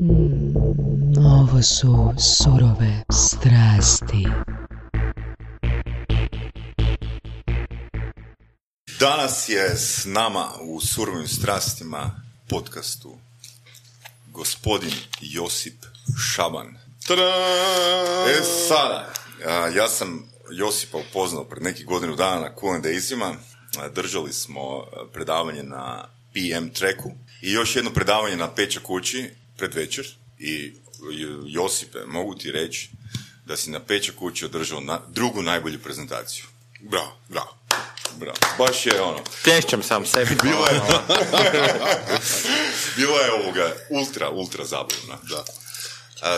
Ovo su surove strasti. Danas je s nama u Surovim strastima podcastu gospodin Josip Šaban. Sada, ja sam Josipa upoznao pred nekih godinu dana na Q&A-izima. Držali smo predavanje na PM Tracku i još jedno predavanje na Peča kući pred večer. I Josipe, mogu ti reći da si na Peča kući održao drugu najbolju prezentaciju. Bravo. Baš je ono... Plješćem sam sebi. Bilo je ultra zabavno. Da.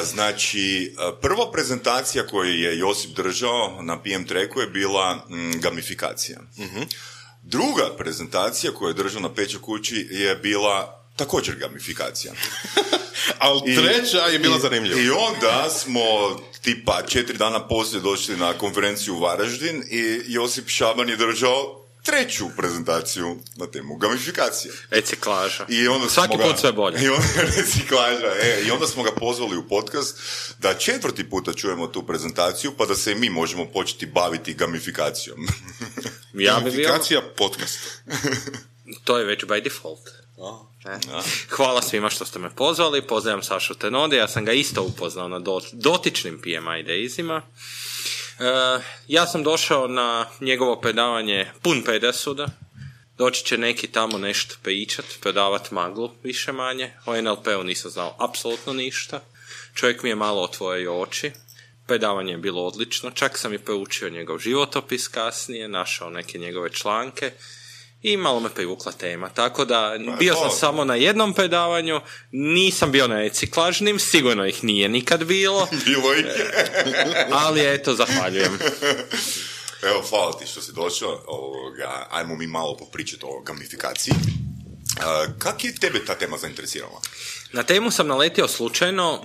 Znači, prva prezentacija koju je Josip držao na PM Tracku je bila gamifikacija. Uh-huh. Druga prezentacija koju je držao na Peča kući je bila također gamifikacija. Ali treća je bila zanimljiva. I onda smo tipa 4 dana poslije došli na konferenciju u Varaždin i Josip Šaban je držao treću prezentaciju na temu gamifikacije. Reciklaža. Svaki put sve bolje. Reciklaža. I onda smo ga pozvali u podcast da 4. puta čujemo tu prezentaciju pa da se i mi možemo početi baviti gamifikacijom. Gamifikacija podcasta. To je već by default. Hvala svima što ste me pozvali. Pozdravljam Sašu Tenode. Ja sam ga isto upoznao na dotičnim PMI Daysima. Ja sam došao na njegovo predavanje pun pedesuda. Doći će neki tamo nešto pričat, predavat maglu, više manje. O NLP-u nisam znao apsolutno ništa. Čovjek mi je malo otvorio oči. Predavanje je bilo odlično. Čak sam i proučio njegov životopis kasnije, našao neke njegove članke. I malo me privukla tema, tako da bio sam samo na jednom predavanju, nisam bio na reciklažnim, sigurno ih nije nikad bilo. Bilo ih. Ali eto, zahvaljujem. Evo, hvala ti što si došao, ajmo mi malo popričati o gamifikaciji. Kako je tebe ta tema zainteresirala? Na temu sam naletio slučajno.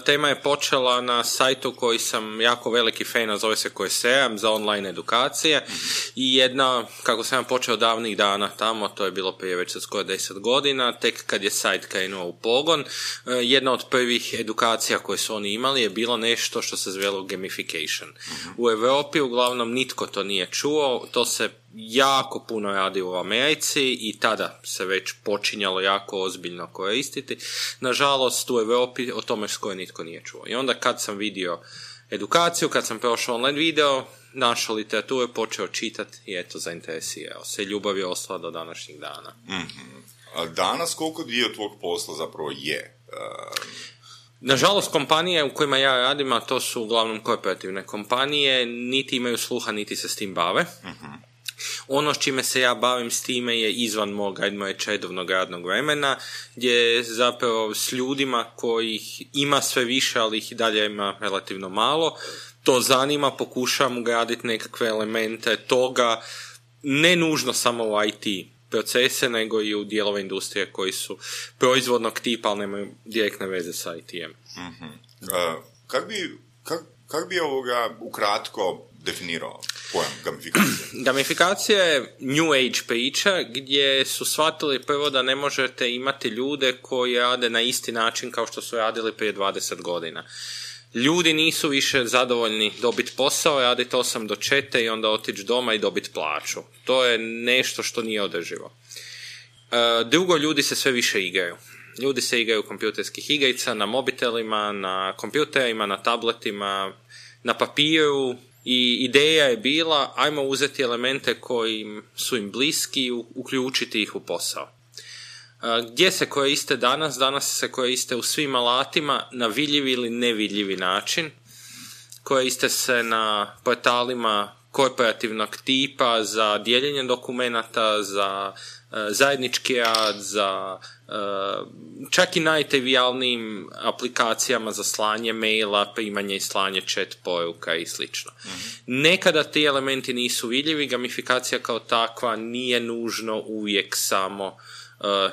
Tema je počela na sajtu koji sam jako veliki fan, zove se Coursera, za online edukacije. I jedna, kako sam počeo davnih dana tamo, to je bilo prije već skoro 10 godina, tek kad je sajt krenuo u pogon, jedna od prvih edukacija koje su oni imali je bilo nešto što se zvelo gamification. U Europi uglavnom nitko to nije čuo, to se jako puno radi u Americi i tada se već počinjalo jako ozbiljno koristiti. Nažalost, u Europi o tome skoro nitko nije čuo. I onda kad sam vidio edukaciju, kad sam prošao online video, našao literaturu, počeo čitati i eto, zainteresirao se. Ljubav je ostala do današnjih dana. Mm-hmm. A danas koliko dio tvog posla zapravo je? Nažalost, kompanije u kojima ja radim, a to su uglavnom korporativne kompanije, niti imaju sluha, niti se s tim bave. Mm-hmm. Ono s čime se ja bavim s time je izvan mog, ajdemo reći, redovnog radnog vremena, gdje zapravo s ljudima kojih ima sve više, ali ih i dalje ima relativno malo, to zanima, pokušavam ugraditi nekakve elemente toga, ne nužno samo u IT procese, nego i u dijelove industrije koji su proizvodnog tipa, ali nemaju direktne veze sa IT-em. Mm-hmm. Kak bi ukratko definirao pojam gamifikacije? Gamifikacija je new age priča gdje su shvatili prvo da ne možete imati ljude koji rade na isti način kao što su radili prije 20 godina. Ljudi nisu više zadovoljni dobiti posao, raditi 8 do 4 i onda otići doma i dobiti plaću. To je nešto što nije održivo. Drugo, ljudi se sve više igraju. Ljudi se igraju kompjuterskih igrica na mobitelima, na kompjuterima, na tabletima, na papiru. I ideja je bila, ajmo uzeti elemente koji su im bliski i uključiti ih u posao. Gdje se koriste danas? Danas se koriste u svim alatima na vidljivi ili nevidljivi način. Koriste se na portalima korporativnog tipa za dijeljenje dokumenata, za zajednički rad, za čak i najtrivijalnijim aplikacijama za slanje maila, primanje i slanje chat poruka i slično. Nekada ti elementi nisu vidljivi, gamifikacija kao takva nije nužno uvijek samo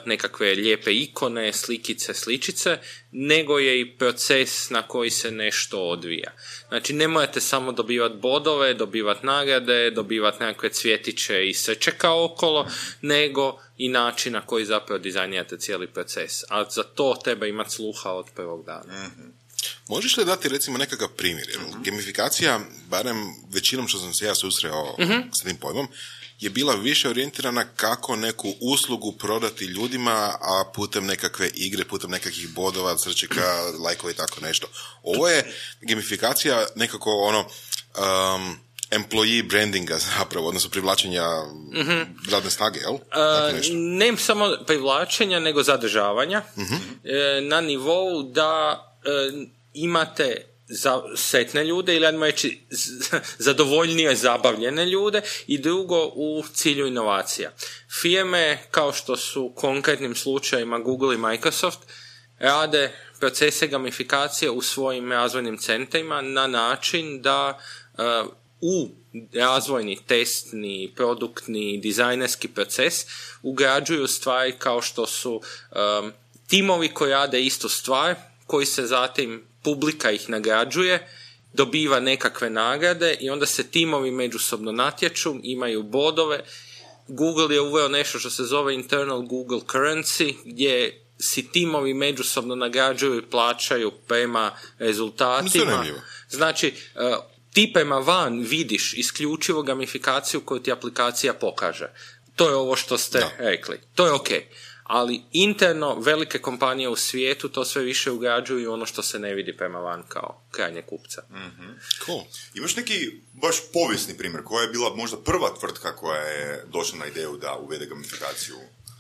nekakve lijepe ikone, slikice, sličice, nego je i proces na koji se nešto odvija. Znači, ne morate samo dobivati bodove, dobivati nagrade, dobivati nekakve cvjetiće i srčeka okolo, nego i način na koji zapravo dizajnirate cijeli proces. A za to treba imati sluha od prvog dana. Mm-hmm. Možeš li dati recimo nekakav primjer? Gamifikacija, barem većinom što sam se ja susreo s tim pojmom, je bila više orijentirana kako neku uslugu prodati ljudima, a putem nekakve igre, putem nekakvih bodova, srčeka, lajkova i tako nešto. Ovo je gamifikacija nekako employee brandinga zapravo, odnosno privlačenja radne snage, jel? Ne samo privlačenja, nego zadržavanja na nivou da imate sretne ljude ili ajmo reći zadovoljnije zabavljene ljude i drugo u cilju inovacija. Firme kao što su u konkretnim slučajima Google i Microsoft rade procese gamifikacije u svojim razvojnim centrima na način da u razvojni, testni, produktni, dizajnerski proces ugrađuju stvari kao što su timovi koji rade istu stvar, koji se zatim publika ih nagrađuje, dobiva nekakve nagrade i onda se timovi međusobno natječu, imaju bodove. Google je uveo nešto što se zove internal Google currency, gdje si timovi međusobno nagrađuju i plaćaju prema rezultatima. Znači, ti prema van vidiš isključivo gamifikaciju koju ti aplikacija pokaže. To je ovo što ste rekli. To je ok. Ali interno velike kompanije u svijetu to sve više ugrađuju ono što se ne vidi prema van kao krajnje kupca. Mm-hmm. Cool. Imaš neki baš povijesni primjer koja je bila možda prva tvrtka koja je došla na ideju da uvede gamifikaciju?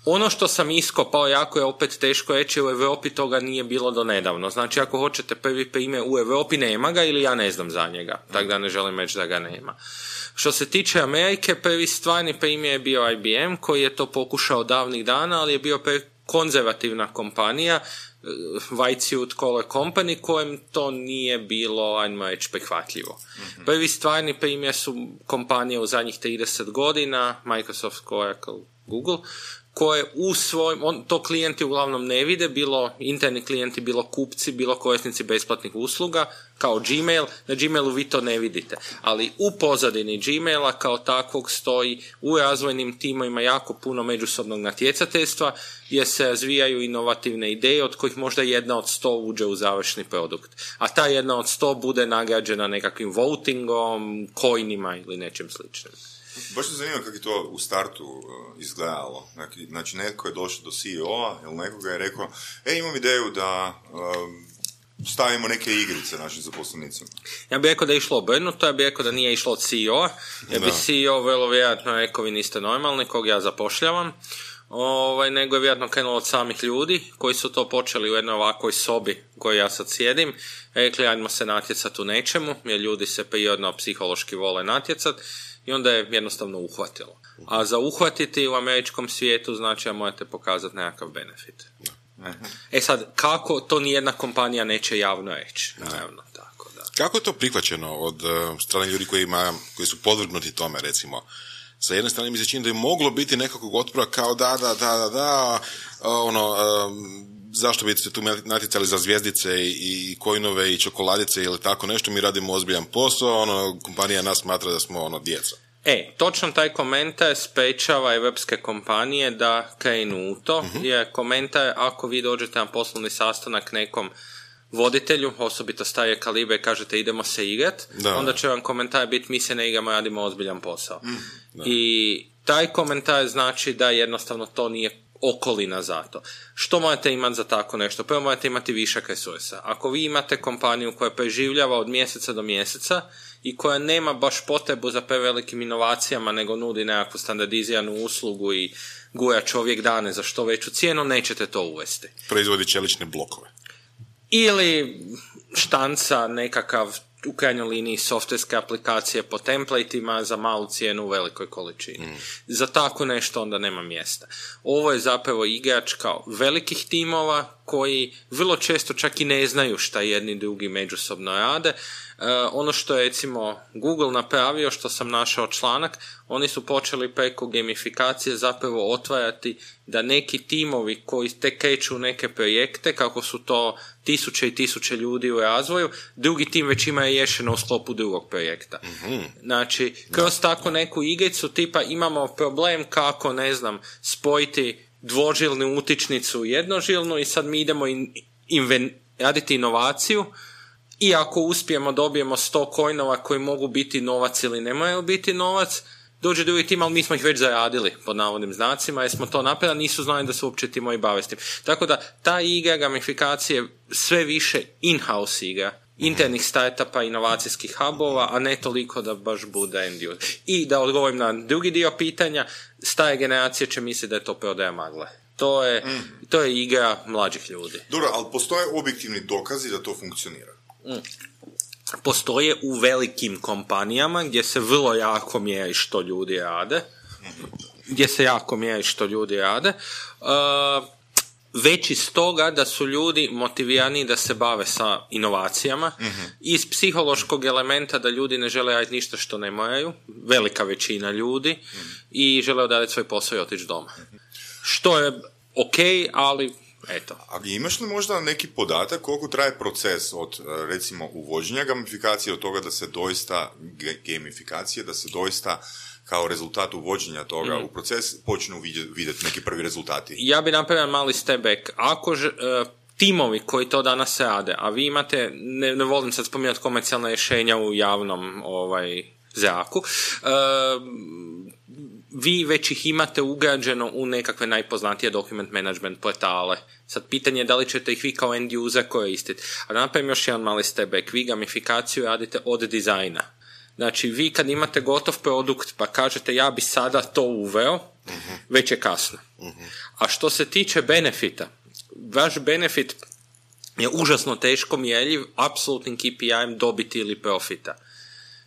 Ono što sam iskopao jako je opet teško reći, u Europi toga nije bilo do nedavno. Znači, ako hoćete prvi primjer u Europi, nema ga ili ja ne znam za njega. Tako da ne želim reći da ga nema. Što se tiče Amerike, prvi stvarni primjer je bio IBM, koji je to pokušao davnih dana, ali je bio konzervativna kompanija, White Suit Color Company, kojem to nije bilo, ajmo reći, prihvatljivo. Mm-hmm. Prvi stvarni primjer su kompanije u zadnjih 30 godina, Microsoft, Oracle, Google, koje u svojim, to klijenti uglavnom ne vide, bilo interni klijenti, bilo kupci, bilo korisnici besplatnih usluga, kao Gmail. Na Gmailu vi to ne vidite, ali u pozadini Gmaila kao takvog stoji u razvojnim timovima jako puno međusobnog natjecateljstva, gdje se razvijaju inovativne ideje, od kojih možda 1 od 100 uđe u završni produkt. A ta 1 od 100 bude nagrađena nekakvim votingom, coinima ili nečim sličnim. Baš se zanima kako je to u startu izgledalo. Znači, netko je došao do CEO-a ili nekoga je rekao, imam ideju da stavimo neke igrice našim zaposlenicima. Ja bih rekao da je išlo obrnuto, ja bih rekao da nije išlo od CEO-a, jer bi CEO vrlo vjerojatno rekao, vi niste normalni, kog ja zapošljavam, nego je vjerojatno krenulo od samih ljudi koji su to počeli u jednoj ovakvoj sobi koju ja sad sjedim, rekli, ajmo se natjecati u nečemu, jer ljudi se prirodno psihološki vole natjecati, i onda je jednostavno uhvatilo. A za uhvatiti u američkom svijetu znači da morate pokazati nekakav benefit. Sad, kako to nijedna kompanija neće javno reći? Naravno, tako da. Kako je to prihvaćeno od strane ljudi koji su podvrgnuti tome, recimo? Sa jedne strane mi se čini da je moglo biti nekakvog otpora kao zašto bi se tu natjecali za zvjezdice i coinove i čokoladice ili tako nešto, mi radimo ozbiljan posao, kompanija nas smatra da smo djeca. Točno taj komentar sprečava evropske kompanije da krenu u to, jer komentar, ako vi dođete na poslovni sastanak nekom voditelju, osobito starije kalibre, kažete idemo se igrat, onda će vam komentar biti mi se ne igramo, radimo ozbiljan posao. I taj komentar znači da jednostavno to nije okolina za to. Što morate imati za tako nešto? Prvo morate imati višak resursa. Ako vi imate kompaniju koja preživljava od mjeseca do mjeseca i koja nema baš potrebu za prevelikim inovacijama, nego nudi nekakvu standardiziranu uslugu i gura čovjek dane za što veću cijenu, nećete to uvesti. Proizvodi čelične blokove. Ili štanca nekakav u krajnjoj liniji softverske aplikacije po templateima za malu cijenu u velikoj količini. Za tako nešto onda nema mjesta. Ovo je zapravo igrač kao velikih timova koji vrlo često čak i ne znaju šta jedni drugi međusobno rade. Ono što je recimo Google napravio, što sam našao članak, oni su počeli preko gamifikacije zapravo otvarati da neki timovi koji tek kreću neke projekte, kako su to tisuće i tisuće ljudi u razvoju, drugi tim već ima riješeno u sklopu drugog projekta. Znači, kroz tako neku igricu tipa imamo problem kako, ne znam, spojiti dvožilnu utičnicu u jednožilnu i sad mi idemo raditi inovaciju i ako uspijemo dobijemo 100 coinova koji mogu biti novac ili ne moraju biti novac, dođe drugi tim, ali mi smo ih već zaradili pod navodnim znacima jer smo to napravili, nisu znali da se uopće timovi bave s tim. Tako da ta igra gamifikacije sve više in-house igra, internih startupa, inovacijskih hubova, a ne toliko da baš bude end user. I da odgovorim na drugi dio pitanja, stare generacije će misliti da je to prodaja magle. To je igra mlađih ljudi. Dobro, ali postoje objektivni dokazi da to funkcionira? Postoje u velikim kompanijama gdje se vrlo jako mjeri što ljudi rade. Već iz toga da su ljudi motivirani da se bave sa inovacijama, iz psihološkog elementa da ljudi ne žele raditi ništa što ne moraju, velika većina ljudi, i žele odraditi svoj posao i otići doma. Što je ok, ali eto. A imaš li možda neki podatak koliko traje proces od, recimo, uvođenja gamifikacije od toga da se doista da se doista kao rezultat uvođenja toga u proces počnu vidjeti neki prvi rezultati? Ja bi napravio mali step back. Ako timovi koji to danas rade, a vi imate, ne volim sad spominjati komercijalna rješenja u javnom zraku, vi već ih imate ugrađeno u nekakve najpoznatije document management portale. Sad pitanje je da li ćete ih vi kao end user koristiti. A da napravim još jedan mali step back. Vi gamifikaciju radite od dizajna. Znači, vi kad imate gotov produkt pa kažete ja bi sada to uveo, već je kasno. A što se tiče benefita, vaš benefit je užasno teško mjerljiv apsolutnim KPI-em dobiti ili profita.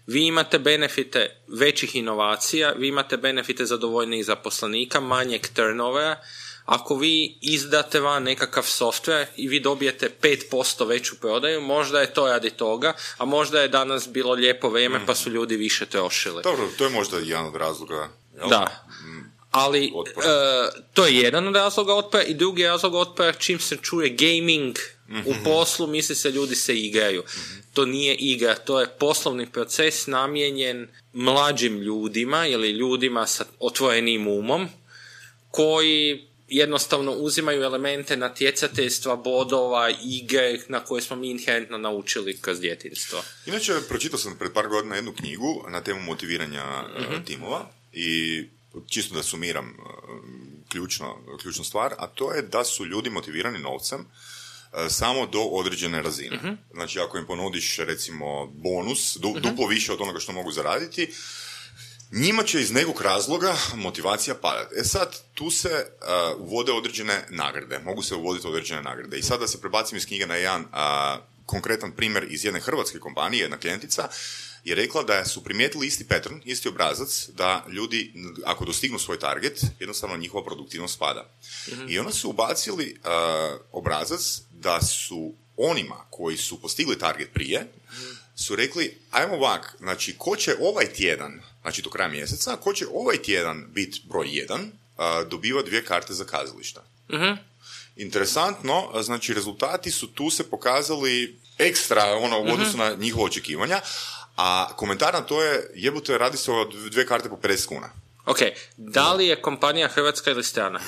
Vi imate benefite većih inovacija, vi imate benefite zadovoljnijih zaposlenika, manjeg turnovera. Ako vi izdate van nekakav software i vi dobijete 5% veću prodaju, možda je to radi toga, a možda je danas bilo lijepo vrijeme pa su ljudi više trošili. Dobro, to je možda jedan od razloga. Jel? Da. Ali to je jedan od razloga otpora i drugi razlog otpora, čim se čuje gaming u poslu, misli se ljudi se igraju. To nije igra, to je poslovni proces namijenjen mlađim ljudima ili ljudima sa otvorenim umom koji jednostavno uzimaju elemente natjecateljstva, bodova, igre na koje smo mi inherentno naučili kroz djetinjstvo. Inače, pročitao sam pred par godina jednu knjigu na temu motiviranja timova i čisto da sumiram ključnu stvar, a to je da su ljudi motivirani novcem samo do određene razine. Znači, ako im ponudiš, recimo, bonus, duplo više od onoga što mogu zaraditi, njima će iz nekog razloga motivacija padati. Sad, tu se uvode određene nagrade. Mogu se uvoditi određene nagrade. I sad da se prebacim iz knjige na jedan konkretan primjer iz jedne hrvatske kompanije, jedna klijentica, je rekla da su primijetili isti pattern, isti obrazac, da ljudi, ako dostignu svoj target, jednostavno njihova produktivnost pada. I onda su ubacili obrazac da su onima koji su postigli target prije, su rekli, ajmo ovak, znači, ko će ovaj tjedan, znači do kraja mjeseca, ko će ovaj tjedan biti broj 1, dobiva 2 karte za kazališta. Interesantno, znači, rezultati su tu se pokazali ekstra, u odnosu na njihova očekivanja, a komentar na to je, jebote, radi se o 2 karte po 50 kuna. Ok, da li je kompanija hrvatska ili strana?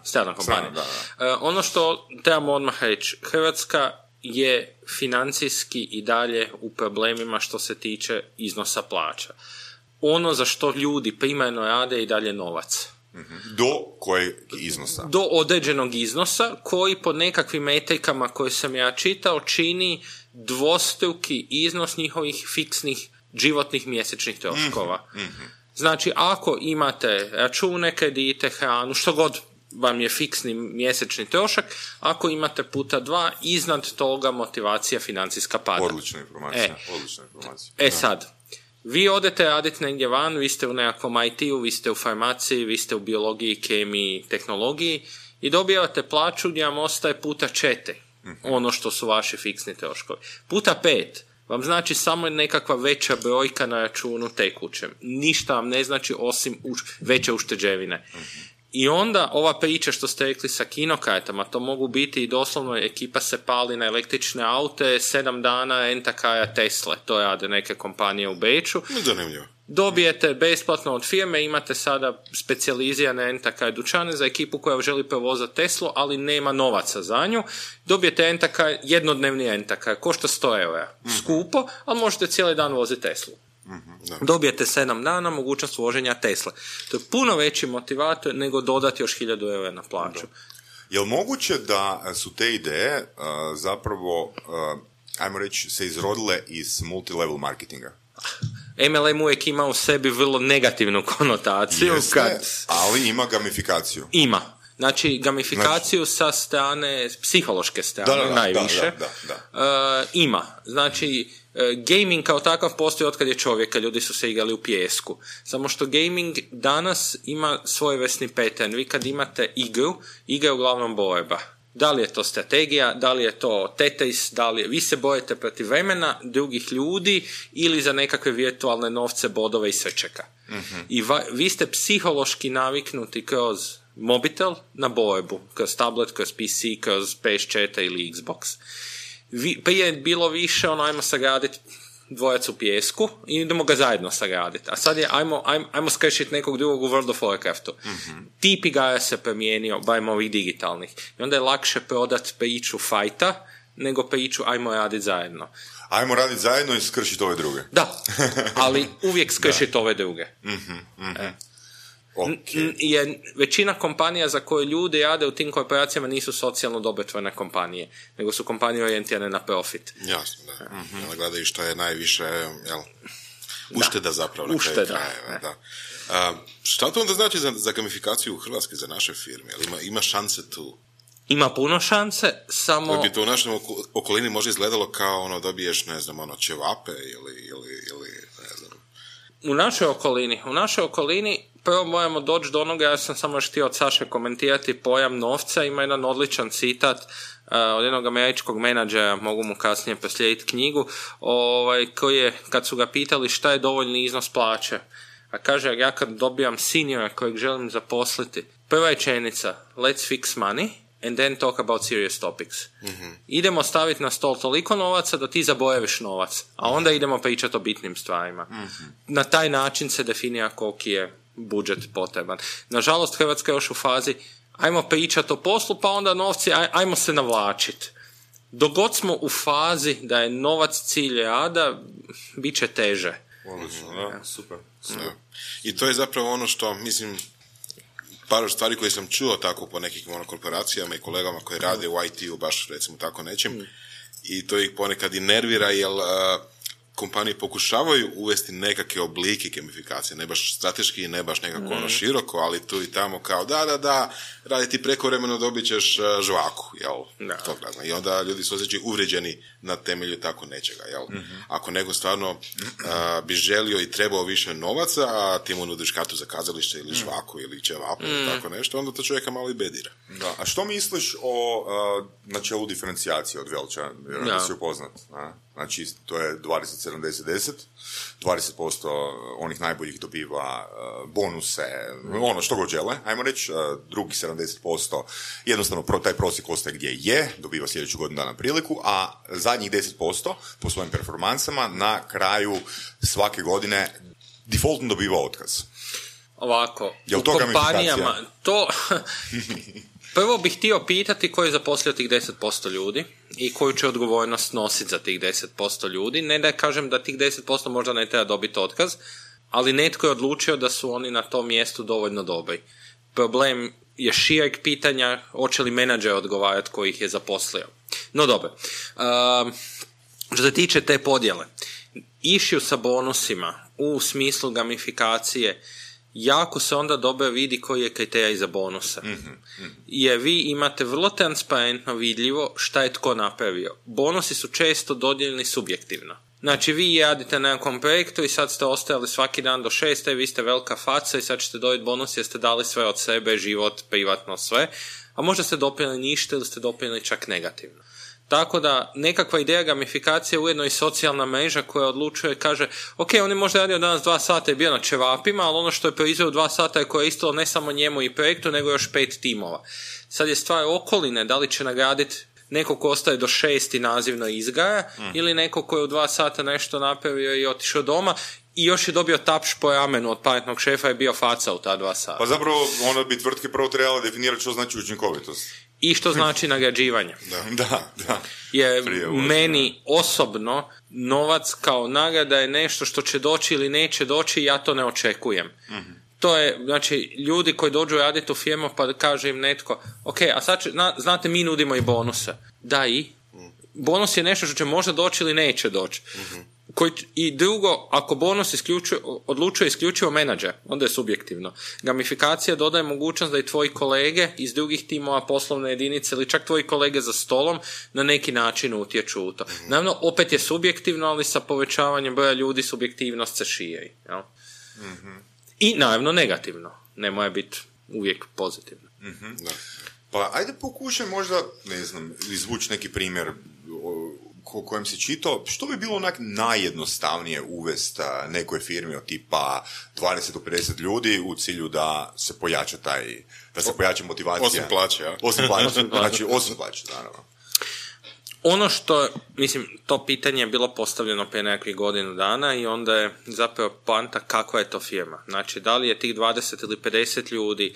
Strana kompanija. Da. Ono što trebamo odmah reći, Hrvatska je financijski i dalje u problemima što se tiče iznosa plaća. Ono za što ljudi primarno rade je i dalje novac. Do kojeg iznosa? Do određenog iznosa koji po nekakvim metrikama koje sam ja čitao čini dvostruki iznos njihovih fiksnih životnih mjesečnih troškova. Znači, ako imate račune, kredite, hranu, što god vam je fiksni mjesečni trošak, ako imate puta 2, iznad toga motivacija financijska pada. Odlična informacija. Sad, vi odete raditi negdje van, vi ste u nekakvom IT-u, vi ste u farmaciji, vi ste u biologiji, kemiji, tehnologiji i dobijate plaću gdje vam ostaje puta 4, ono što su vaši fiksni troškovi. Puta 5 vam znači samo nekakva veća brojka na računu tekućem. Ništa vam ne znači osim veće ušteđevine. I onda ova priča što ste rekli sa kinokartama, to mogu biti i doslovno ekipa se pali na električne aute, 7 dana renta-kara Tesla, to rade neke kompanije u Beču. Zanimljivo. Dobijete besplatno od firme, imate sada specijalizirane renta-kar dućane za ekipu koja želi provozati Teslu, ali nema novaca za nju. Dobijete renta-kar, jednodnevni renta-kar, košta 100 eura. Skupo, ali možete cijeli dan voziti Teslu. Dobijete 7 dana mogućnost voženja Tesla. To je puno veći motivator nego dodati još 1000 eura na plaću. Je li moguće da su te ideje zapravo, ajmo reći, se izrodile iz multilevel marketinga? MLM uvijek ima u sebi vrlo negativnu konotaciju. Jeste, ali ima gamifikaciju. Ima. Znači, gamifikaciju sa strane, psihološke strane, najviše. Ima. Znači, gaming kao takav postoji otkad je čovjeka, ljudi su se igrali u pijesku. Samo što gaming danas ima svojevrsni pattern. Vi kad imate igru, igra je uglavnom borba. Da li je to strategija, da li je to Tetris, vi se borite protiv vremena, drugih ljudi ili za nekakve virtualne novce, bodove i srčeka. I vi ste psihološki naviknuti kroz mobitel na borbu, kroz tablet, kroz PC, kroz PS4 ili Xbox. Prije je bilo više ajmo sagraditi dvojac u pijesku i idemo ga zajedno sagraditi. A sad je ajmo skršiti nekog drugog u World of Warcraftu. Tip igara se promijenio, barem ovih digitalnih. I onda je lakše prodati priču fajta nego priču ajmo raditi zajedno. Ajmo raditi zajedno i skršiti ove druge. Da, ali uvijek skršiti ove druge. Okay. Jer većina kompanija za koje ljudi rade u tim korporacijama nisu socijalno dobrotvorne kompanije, nego su kompanije orijentirane na profit. Jasno, da. Gledaju što je najviše ušteda zapravo na kraju krajeva. Šta to onda znači za gamifikaciju u Hrvatskoj, za naše firme? Ima šanse tu? Ima puno šanse, samo... Da bi to u našoj okolini možda izgledalo kao dobiješ, ne znam, ćevape ili ne znam. U našoj okolini prvo moramo doći do onoga, ja sam samo još htio od Saše komentirati pojam novca. Ima jedan odličan citat od jednog američkog menadžera, mogu mu kasnije proslijediti knjigu, koji je, kad su ga pitali šta je dovoljni iznos plaće, a kaže, ja kad dobijam seniora kojeg želim zaposliti, prva rečenica, let's fix money and then talk about serious topics. Idemo staviti na stol toliko novaca da ti zaboraviš novac, a onda idemo pričati o bitnim stvarima. Na taj način se definira koliki je budžet potreban. Nažalost, Hrvatska je još u fazi ajmo pričati o poslu, pa onda novci, ajmo se navlačiti. Dok god smo u fazi da je novac cilj rada, bit će teže. Super. I to je zapravo ono što, mislim, par stvari koje sam čuo tako po nekim korporacijama i kolegama koji rade u IT-u, baš recimo tako nečem, i to ih ponekad i nervira, jer kompanije pokušavaju uvesti nekakve oblike gamifikacije, ne baš strateški, ne baš nekako široko, ali tu i tamo kao da, radi ti prekovremeno, dobit ćeš žvaku, jel? Da. I onda ljudi su osjećaju uvrijeđeni na temelju tako nečega, jel? Ako nego stvarno bi želio i trebao više novaca, a ti mu nudiš kartu za kazalište ili žvaku ili ćevapu ili tako nešto, onda to čovjeka malo i bedira. Da. A što misliš o načelu diferencijacije od Welcha? Da si upoznat, znači to je 20-70-10, 20% onih najboljih dobiva bonuse, ono što god žele, ajmo reći, drugih 70% jednostavno taj prosjek ostaje gdje je, dobiva sljedeću godinu dana priliku, a zadnjih 10% po svojim performansama na kraju svake godine defaultno dobiva otkaz. Ovako, u kompanijama to... Prvo bih htio pitati ko je zaposlio tih 10% ljudi i koju će odgovornost nositi za tih 10% ljudi. Ne da kažem da tih 10% možda ne treba dobiti otkaz, ali netko je odlučio da su oni na tom mjestu dovoljno dobri. Problem je šireg pitanja, hoće li menadžer odgovarati koji ih je zaposlio. No dobro. Što se tiče te podjele, issue sa bonusima u smislu gamifikacije, jako se onda dobro vidi koji je kriterij za bonuse. Jer vi imate vrlo transparentno vidljivo šta je tko napravio. Bonusi su često dodijeljeni subjektivno. Znači, vi radite na nekom projektu i sad ste ostajali svaki dan do 6, vi ste velika faca i sad ćete dobiti bonus jer ste dali sve od sebe, život, privatno, sve. A možda ste doprinijeli ništa ili ste doprinijeli čak negativno. Tako da, nekakva ideja gamifikacije je ujedno i socijalna mreža koja odlučuje, kaže, ok, on je možda radio danas 2 sata i bio na ćevapima, ali ono što je proizveo 2 sata je koristilo ne samo njemu i projektu, nego još 5 timova. Sad je stvar okoline, da li će nagraditi neko ko ostaje do 6 i nazivno izgaja, ili neko ko je u 2 sata nešto napravio i otišao doma i još je dobio tapš po ramenu od pametnog šefa i bio faca u ta 2 sata. Pa zapravo onda bi tvrtke prvo trebala definirati što znači učinkovitost. I što znači nagrađivanje. Da. Jer meni osobno novac kao nagrada je nešto što će doći ili neće doći i ja to ne očekujem. To je, znači, ljudi koji dođu raditi u firmu pa kaže im netko, ok, a sad znate, mi nudimo i bonuse. Da, i? Bonus je nešto što će možda doći ili neće doći. I drugo, ako bonus odlučuje isključivo menadžer, onda je subjektivno. Gamifikacija dodaje mogućnost da i tvoji kolege iz drugih timova, poslovne jedinice ili čak tvoji kolege za stolom na neki način utječu u to. Naravno, opet je subjektivno, ali sa povećavanjem broja ljudi subjektivnost se širi. Jel? I naravno negativno. Ne mora biti uvijek pozitivno. Pa ajde pokušaj možda, ne znam, izvući neki primjer kojem si čitao, što bi bilo onak najjednostavnije uvesti nekoj firmi od tipa 20 do 50 ljudi u cilju da se pojača da se pojača motivacija. Osim plaće, ja. Osim plaće, znači osim plaće, naravno. Ono što, mislim, to pitanje je bilo postavljeno prije nekakvih godinu dana i onda je zapravo poanta kakva je to firma. Znači, da li je tih 20 ili 50 ljudi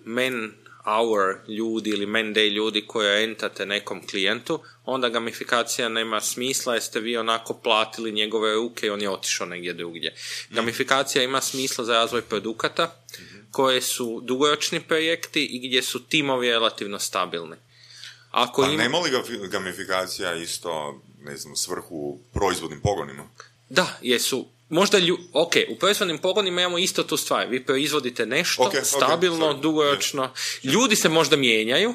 man-hour ljudi ili man-day ljudi koje entate nekom klijentu, onda gamifikacija nema smisla jer ste vi onako platili njegove ruke i on je otišao negdje drugdje. Gamifikacija ima smisla za razvoj produkata koje su dugoročni projekti i gdje su timovi relativno stabilni. Nema li gamifikacija isto, ne znam, svrhu proizvodnim pogonima? Da, jesu. Možda u proizvodnim pogonima imamo isto tu stvar. Vi proizvodite nešto stabilno, dugoročno. Ljudi se možda mijenjaju,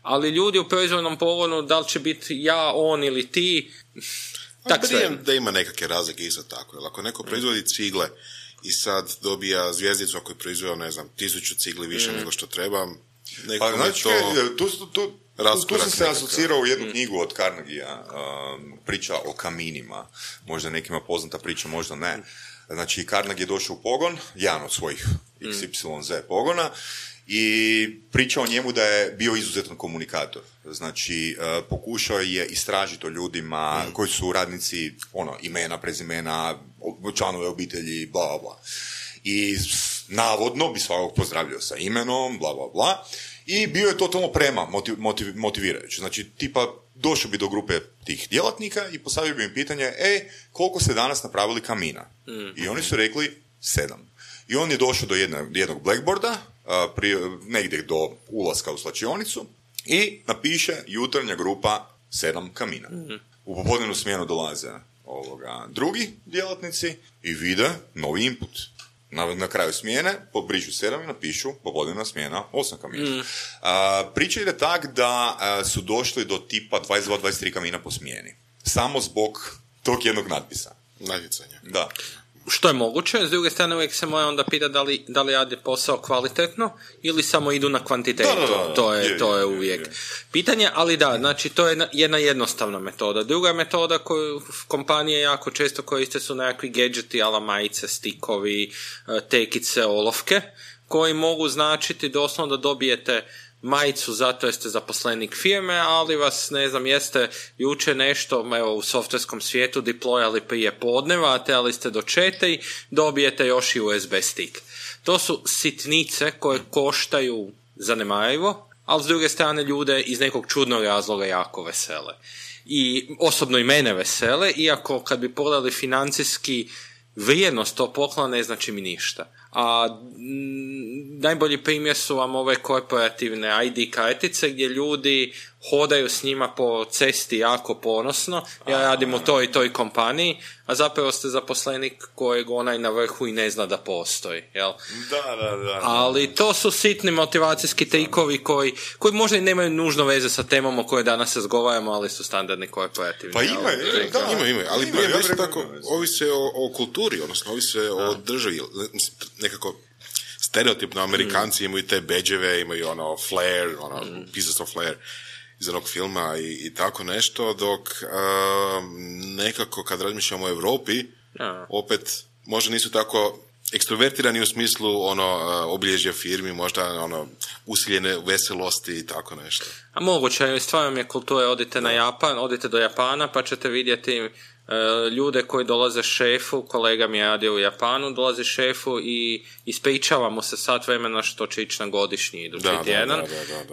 ali ljudi u proizvodnom pogonu, da li će biti ja, on ili ti, tak sve. Da ima nekakve razlike isto tako. Jer ako neko proizvodi cigle i sad dobija zvjezdicu ako je proizveo, ne znam, 1000 cigli više nego što treba, nekom je to... Tu sam se asocirao u jednu knjigu od Carnegie-a, priča o kaminima. Možda nekima poznata priča, možda ne. Znači, Carnegie je došao u pogon, jedan od svojih XYZ pogona, i priča o njemu da je bio izuzetan komunikator. Znači, pokušao je istražiti o ljudima koji su radnici, imena, prezimena, članove obitelji, bla, bla, bla. I navodno bi svakog pozdravljao sa imenom, bla, bla, bla. I bio je totalno motivirajući. Znači, tipa, došao bi do grupe tih djelatnika i postavio bi im pitanje, koliko ste danas napravili kamina? I oni su rekli 7. I on je došao do jednog blackboarda, negdje do ulaska u slačionicu, i napiše jutarnja grupa 7 kamina. U popodnevnu smjenu dolaze drugi djelatnici i vide novi input. Na kraju smjene pobrišu 7 i napišu popodnevna smjena 8 kamina. Priča ide tak da su došli do tipa 22-23 kamina po smjeni. Samo zbog tog jednog natpisa. Natjecanja. Da. Što je moguće, s druge strane uvijek se mora onda pitati da li radi posao kvalitetno ili samo idu na kvantitetu. To je uvijek pitanje, ali da, znači to je jedna jednostavna metoda. Druga metoda koju kompanije jako često koriste su nekakvi gadgeti, ala majice, stikovi, tekice, olovke, koji mogu značiti doslovno da dobijete majicu zato jer ste zaposlenik firme, ali vas, ne znam, jeste jučer nešto, u softverskom svijetu deployali prije podneva, a trebali ste do 4, dobijete još i USB stick. To su sitnice koje koštaju zanemarivo, ali s druge strane ljude iz nekog čudnog razloga jako vesele. I osobno i mene vesele, iako kad bi pogledali financijski vrijednost to poklona ne znači mi ništa. A najbolji primjer su vam ove korporativne ID kartice gdje ljudi hodaju s njima po cesti jako ponosno, ja radim u toj i toj kompaniji, a zapravo ste zaposlenik kojeg onaj na vrhu i ne zna da postoji, jel? Da. Ali to su sitni motivacijski trikovi koji možda i nemaju nužno veze sa temom o kojoj danas razgovaramo, ali su standardni korporativni. Pa imaju, ali isto tako ovise o kulturi, odnosno ovise o državi, nekako stereotipno Amerikanci imaju te bedževe, imaju ono flair, pieces of flair iz onog filma i tako nešto, dok nekako kad razmišljamo o Europi, opet možda nisu tako ekstrovertirani u smislu obilježja firmi, možda usiljene veselosti i tako nešto. A moguće, stvarno je kultura, odite do Japana pa ćete vidjeti ljude koji dolaze šefu, kolega mi je radio u Japanu, dolazi šefu i ispričava mu se sat vremena što će ići na godišnji idući tjedan,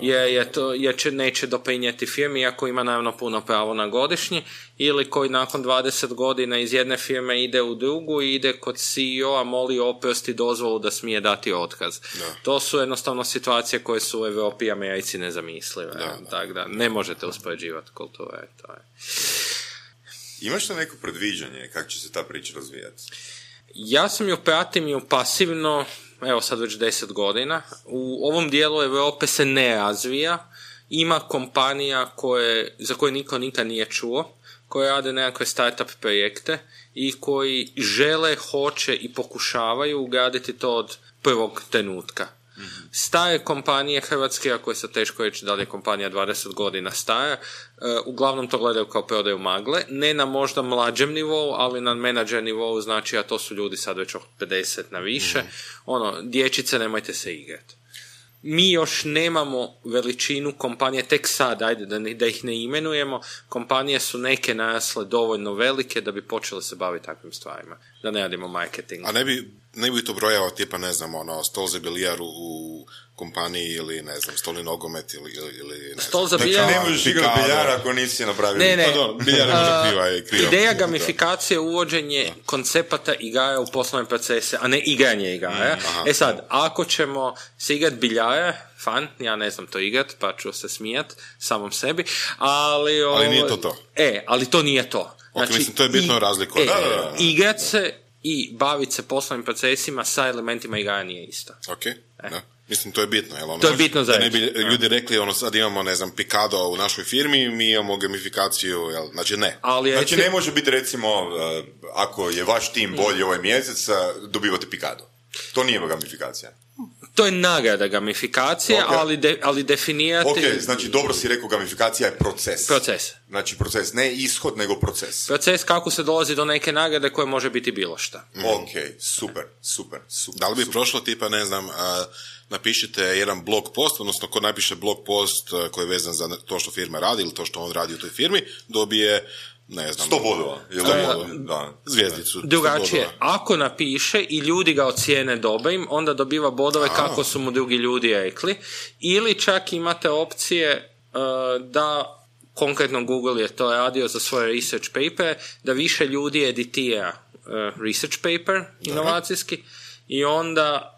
jer neće doprinijeti firmi, iako ima naravno puno pravo na godišnji, ili koji nakon 20 godina iz jedne firme ide u drugu i ide kod CEO-a, moli oprosti dozvolu da smije dati otkaz. To su jednostavno situacije koje su u Europi i Americi nezamislive. Tako da ne možete uspoređivati kulture. To je. Imaš li neko predviđanje kako će se ta priča razvijati? Ja sam ju pratim ju pasivno, evo sad već 10 godina. U ovom dijelu Europe se ne razvija. Ima kompanija za koje niko nikad nije čuo, koje rade nekakve startup projekte i koji žele, hoće i pokušavaju ugraditi to od prvog trenutka. Stare kompanije hrvatske, ako je sad teško reći da li je kompanija 20 godina stara, uglavnom to gledaju kao prodaju magle, ne na možda mlađem nivou, ali na menadžer nivou, znači, a to su ljudi sad već od 50 na više, dječice, nemojte se igrati. Mi još nemamo veličinu kompanije, tek sad, ajde da ih ne imenujemo, kompanije su neke narasle dovoljno velike da bi počele se baviti takvim stvarima, da ne radimo marketing. A ne bi to brojao tipa, ne znam, stol za bilijar u kompaniji ili, ne znam, stolni nogomet ili ne znam. Stol za bilijar... Znači, ne možeš igrati biljara ako nisi napravio... Ne. Biljar je kriva. Ideja gamifikacije je uvođenje koncepata igara u poslovne procese, a ne igranje igara. Sad, ako ćemo se igrati biljara, fan, ja ne znam to igrat, pa ću se smijat samom sebi, ali nije to. Ali to nije to. Znači, mislim, to je bitno razliku. Igrat se i baviti se poslovnim procesima sa elementima igara nije isto. Mislim, to je bitno. To je bitno za ne bi ljudi rekli, sad imamo, ne znam, Picado u našoj firmi, mi imamo gamifikaciju, znači ne. Znači ne može biti, recimo, ako je vaš tim bolji ovaj mjesec, dobivate Picado. To nije gamifikacija. To je nagrada gamifikacije, ali definirati... Znači dobro si rekao, gamifikacija je proces. Znači proces, ne ishod, nego proces. Proces kako se dolazi do neke nagrade koje može biti bilo šta. Super. Da li bi prošlo tipa, ne znam, napišite jedan blog post, odnosno ko napiše blog post koji je vezan za to što firma radi ili to što on radi u toj firmi, dobije, ne znam, 100 bodova. Zvijezdicu. Drugačije, ako napiše i ljudi ga ocijene dobrim, onda dobiva bodove kako su mu drugi ljudi rekli, ili čak imate opcije da, konkretno Google je to radio za svoje research paper, da više ljudi editira research paper inovacijski i onda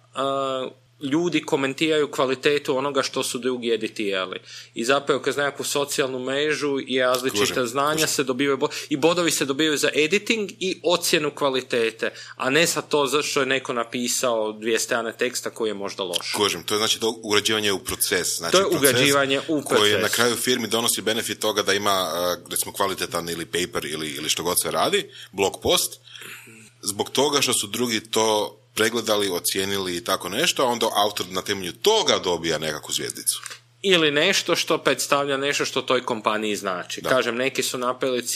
ljudi komentiraju kvalitetu onoga što su drugi editirali. I zapravo kroz nekakvu socijalnu mrežu i različita znanja se dobivaju i bodovi se dobivaju za editing i ocjenu kvalitete, a ne sa to zašto je neko napisao 2 strane teksta koji je možda loš. To je znači to ugrađivanje u proces. Znači, to je ugrađivanje u proces. Koji na kraju firmi donosi benefit toga da ima, recimo, kvalitetan ili paper ili što god se radi, blog post, zbog toga što su drugi to pregledali, ocijenili i tako nešto, a onda autor na temelju toga dobija nekakvu zvjezdicu. Ili nešto što predstavlja nešto što toj kompaniji znači. Kažem, neki su napravili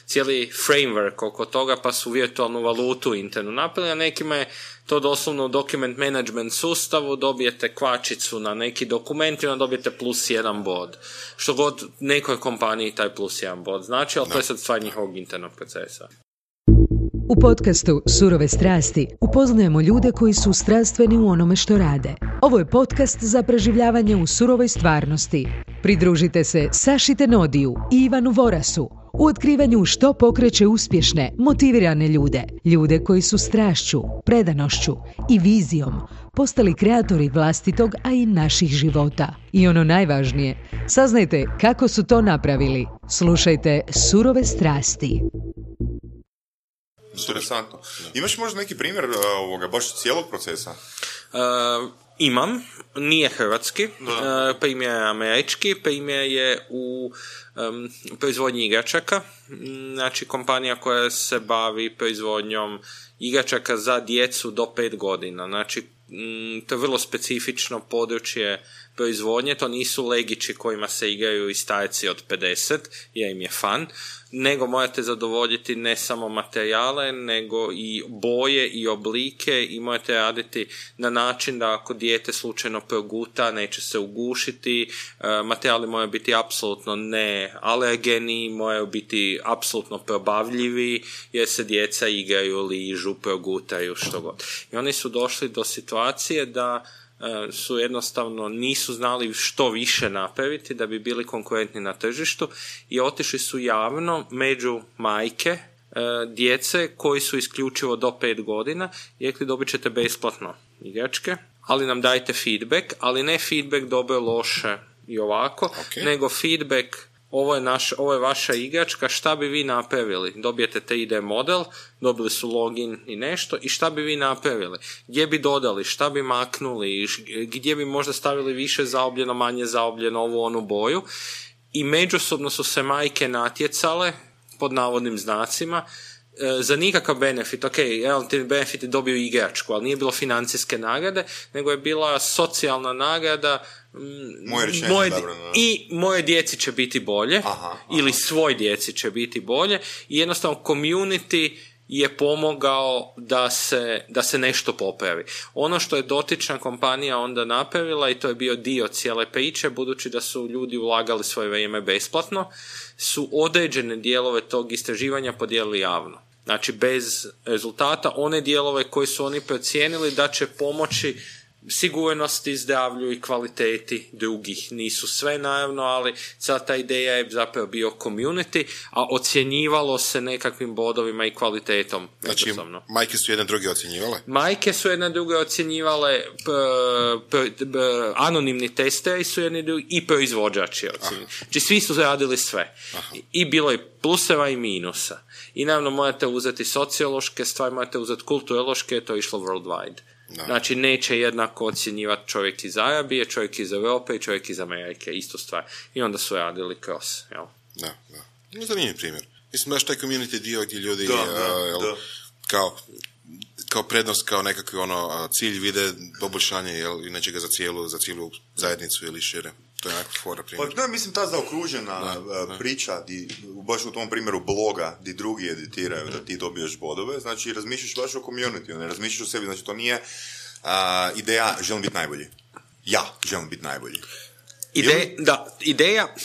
cijeli framework oko toga, pa su virtualnu valutu internu napravili, a nekima je to doslovno u document management sustavu, dobijete kvačicu na neki dokument i onda dobijete +1 bod. Što god nekoj kompaniji taj +1 bod znači, ali to je sad stvar njihovog internog procesa. U podcastu Surove strasti upoznajemo ljude koji su strastveni u onome što rade. Ovo je podcast za preživljavanje u surovoj stvarnosti. Pridružite se Saši Tenodiju i Ivanu Vorasu u otkrivanju što pokreće uspješne, motivirane ljude, ljude koji su strašću, predanošću i vizijom postali kreatori vlastitog, a i naših života. I ono najvažnije, saznajte kako su to napravili. Slušajte Surove strasti. Interesantno. Imaš možda neki primjer baš cijelog procesa? Imam, nije hrvatski, primjer je američki, primjer je u proizvodnji igračaka, znači kompanija koja se bavi proizvodnjom igračaka za djecu do 5 godina, znači to je vrlo specifično područje proizvodnje, to nisu legići kojima se igraju i starci od 50, jer im je fan, nego morate zadovoljiti ne samo materijale, nego i boje i oblike i morate raditi na način da ako dijete slučajno proguta, neće se ugušiti, materijali moraju biti apsolutno ne alergeni, moraju biti apsolutno probavljivi, jer se djeca igraju, ližu, progutaju, što god. I oni su došli do situacije da su jednostavno nisu znali što više napraviti da bi bili konkurentni na tržištu i otišli su javno među majke djece koji su isključivo do 5 godina i rekli dobit ćete besplatno igračke, ali nam dajte feedback, ali ne feedback dobro, loše i ovako, nego feedback ovo je vaša igračka, šta bi vi napravili? Dobijete 3D model, dobili su login i nešto, i šta bi vi napravili? Gdje bi dodali, šta bi maknuli, gdje bi možda stavili više zaobljeno, manje zaobljeno, ovu onu boju. I međusobno su se majke natjecale, pod navodnim znacima, za nikakav benefit. Relativni benefit je dobio igračku, ali nije bilo financijske nagrade, nego je bila socijalna nagrada. Moje djeci će biti bolje, ili svoj djeci će biti bolje, i jednostavno community je pomogao da se nešto popravi. Ono što je dotična kompanija onda napravila, i to je bio dio cijele priče, budući da su ljudi ulagali svoje vrijeme besplatno, su određene dijelove tog istraživanja podijelili javno. Znači, bez rezultata, one dijelove koje su oni procijenili da će pomoći sigurnosti, zdravlju i kvaliteti drugih. Nisu sve, naravno, ali cijela ta ideja je zapravo bio community, a ocjenjivalo se nekakvim bodovima i kvalitetom. Znači, majke su jedne druge ocjenjivale? Majke su jedne druge ocjenjivale, anonimni testeri su jedni drugi i proizvođači ocjenjivali. Znači, svi su radili sve. I bilo je pluseva i minusa. I naravno morate uzeti sociološke stvari, morate uzeti kulturološke, to je išlo worldwide. Da. Znači, neće jednako ocjenjivati čovjek iz Arabije, čovjek iz Europe i čovjek iz Amerike, istu stvar. I onda su radili kroz, jel? Da. Zanimljiv primjer. Mislim, baš taj community dio gdje ljudi kao prednost, kao nekakvi cilj vide poboljšanje nečega za cijelu zajednicu ili šire. To je nekako fora primjer. Pa mislim, ta zaokružena priča, baš u tom primjeru bloga, di drugi editiraju da ti dobiješ bodove, znači razmišljaš baš o community, ne razmišljaš o sebi, znači to nije ideja želim biti najbolji. Ja želim biti najbolji. Ideja,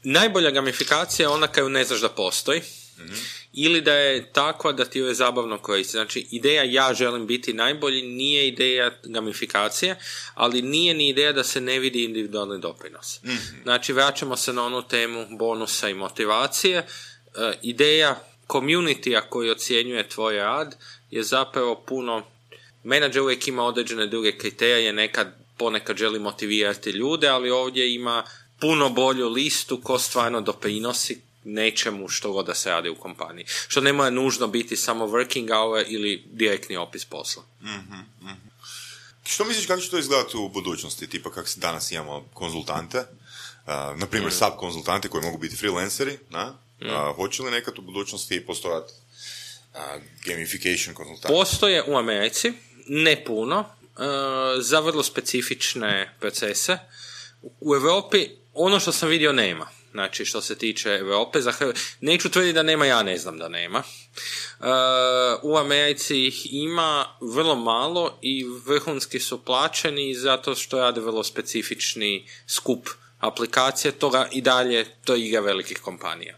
najbolja gamifikacija je ona koju ne znaš da postoji, ili da je takva da ti je zabavno koristiti. Znači, ideja ja želim biti najbolji nije ideja gamifikacije, ali nije ni ideja da se ne vidi individualni doprinos. Znači, vraćamo se na onu temu bonusa i motivacije. Ideja community-a koji ocjenjuje tvoj rad je zapravo puno... Menadžer uvijek ima određene druge kriterije, ponekad želi motivirati ljude, ali ovdje ima puno bolju listu ko stvarno doprinosi nečemu što god da se radi u kompaniji. Što ne mora nužno biti samo working hour ili direktni opis posla. Što misliš kako će to izgledati u budućnosti? Tipa kako danas imamo konzultante, na primjer sub-konzultanti koji mogu biti freelanceri, hoće li nekad u budućnosti postojati gamification konzultanti? Postoje u Americi, ne puno, za vrlo specifične procese. U Europi ono što sam vidio nema. Znači, što se tiče Europe, neću tvrditi da nema, ja ne znam da nema. U Americi ih ima vrlo malo i vrhunski su plaćeni zato što rade vrlo specifični skup aplikacije, toga i dalje to je igra velikih kompanija,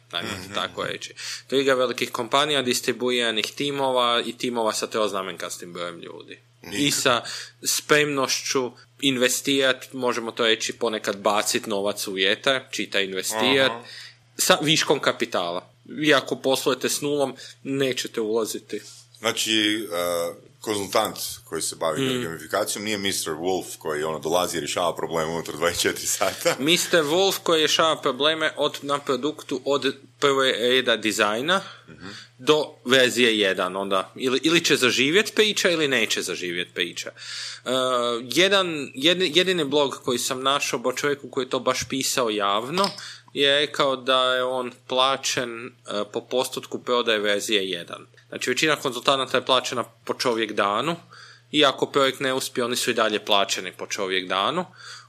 tako reći. To je igra velikih kompanija, distribuiranih timova i timova sa troznamenkastim brojem ljudi. I sa spremnošću investirati, možemo to reći ponekad baciti novac u vjetar, čita investirati, sa viškom kapitala. Vi ako poslujete s nulom, nećete ulaziti. Znači, konzultant koji se bavi gamifikacijom nije Mr. Wolf koji dolazi i rješava probleme unutar 24 sata. Mr. Wolf koji rješava probleme na produktu od prve reda dizajna do verzije 1. Onda, ili će zaživjeti priča ili neće zaživjeti priča. Jedini blog koji sam našao o čovjeku koji je to baš pisao javno je rekao da je on plaćen po postotku prodaje verzije 1. Znači, većina konzultanata je plaćena po čovjek danu i ako projekt ne uspije, oni su i dalje plaćeni po čovjek danu.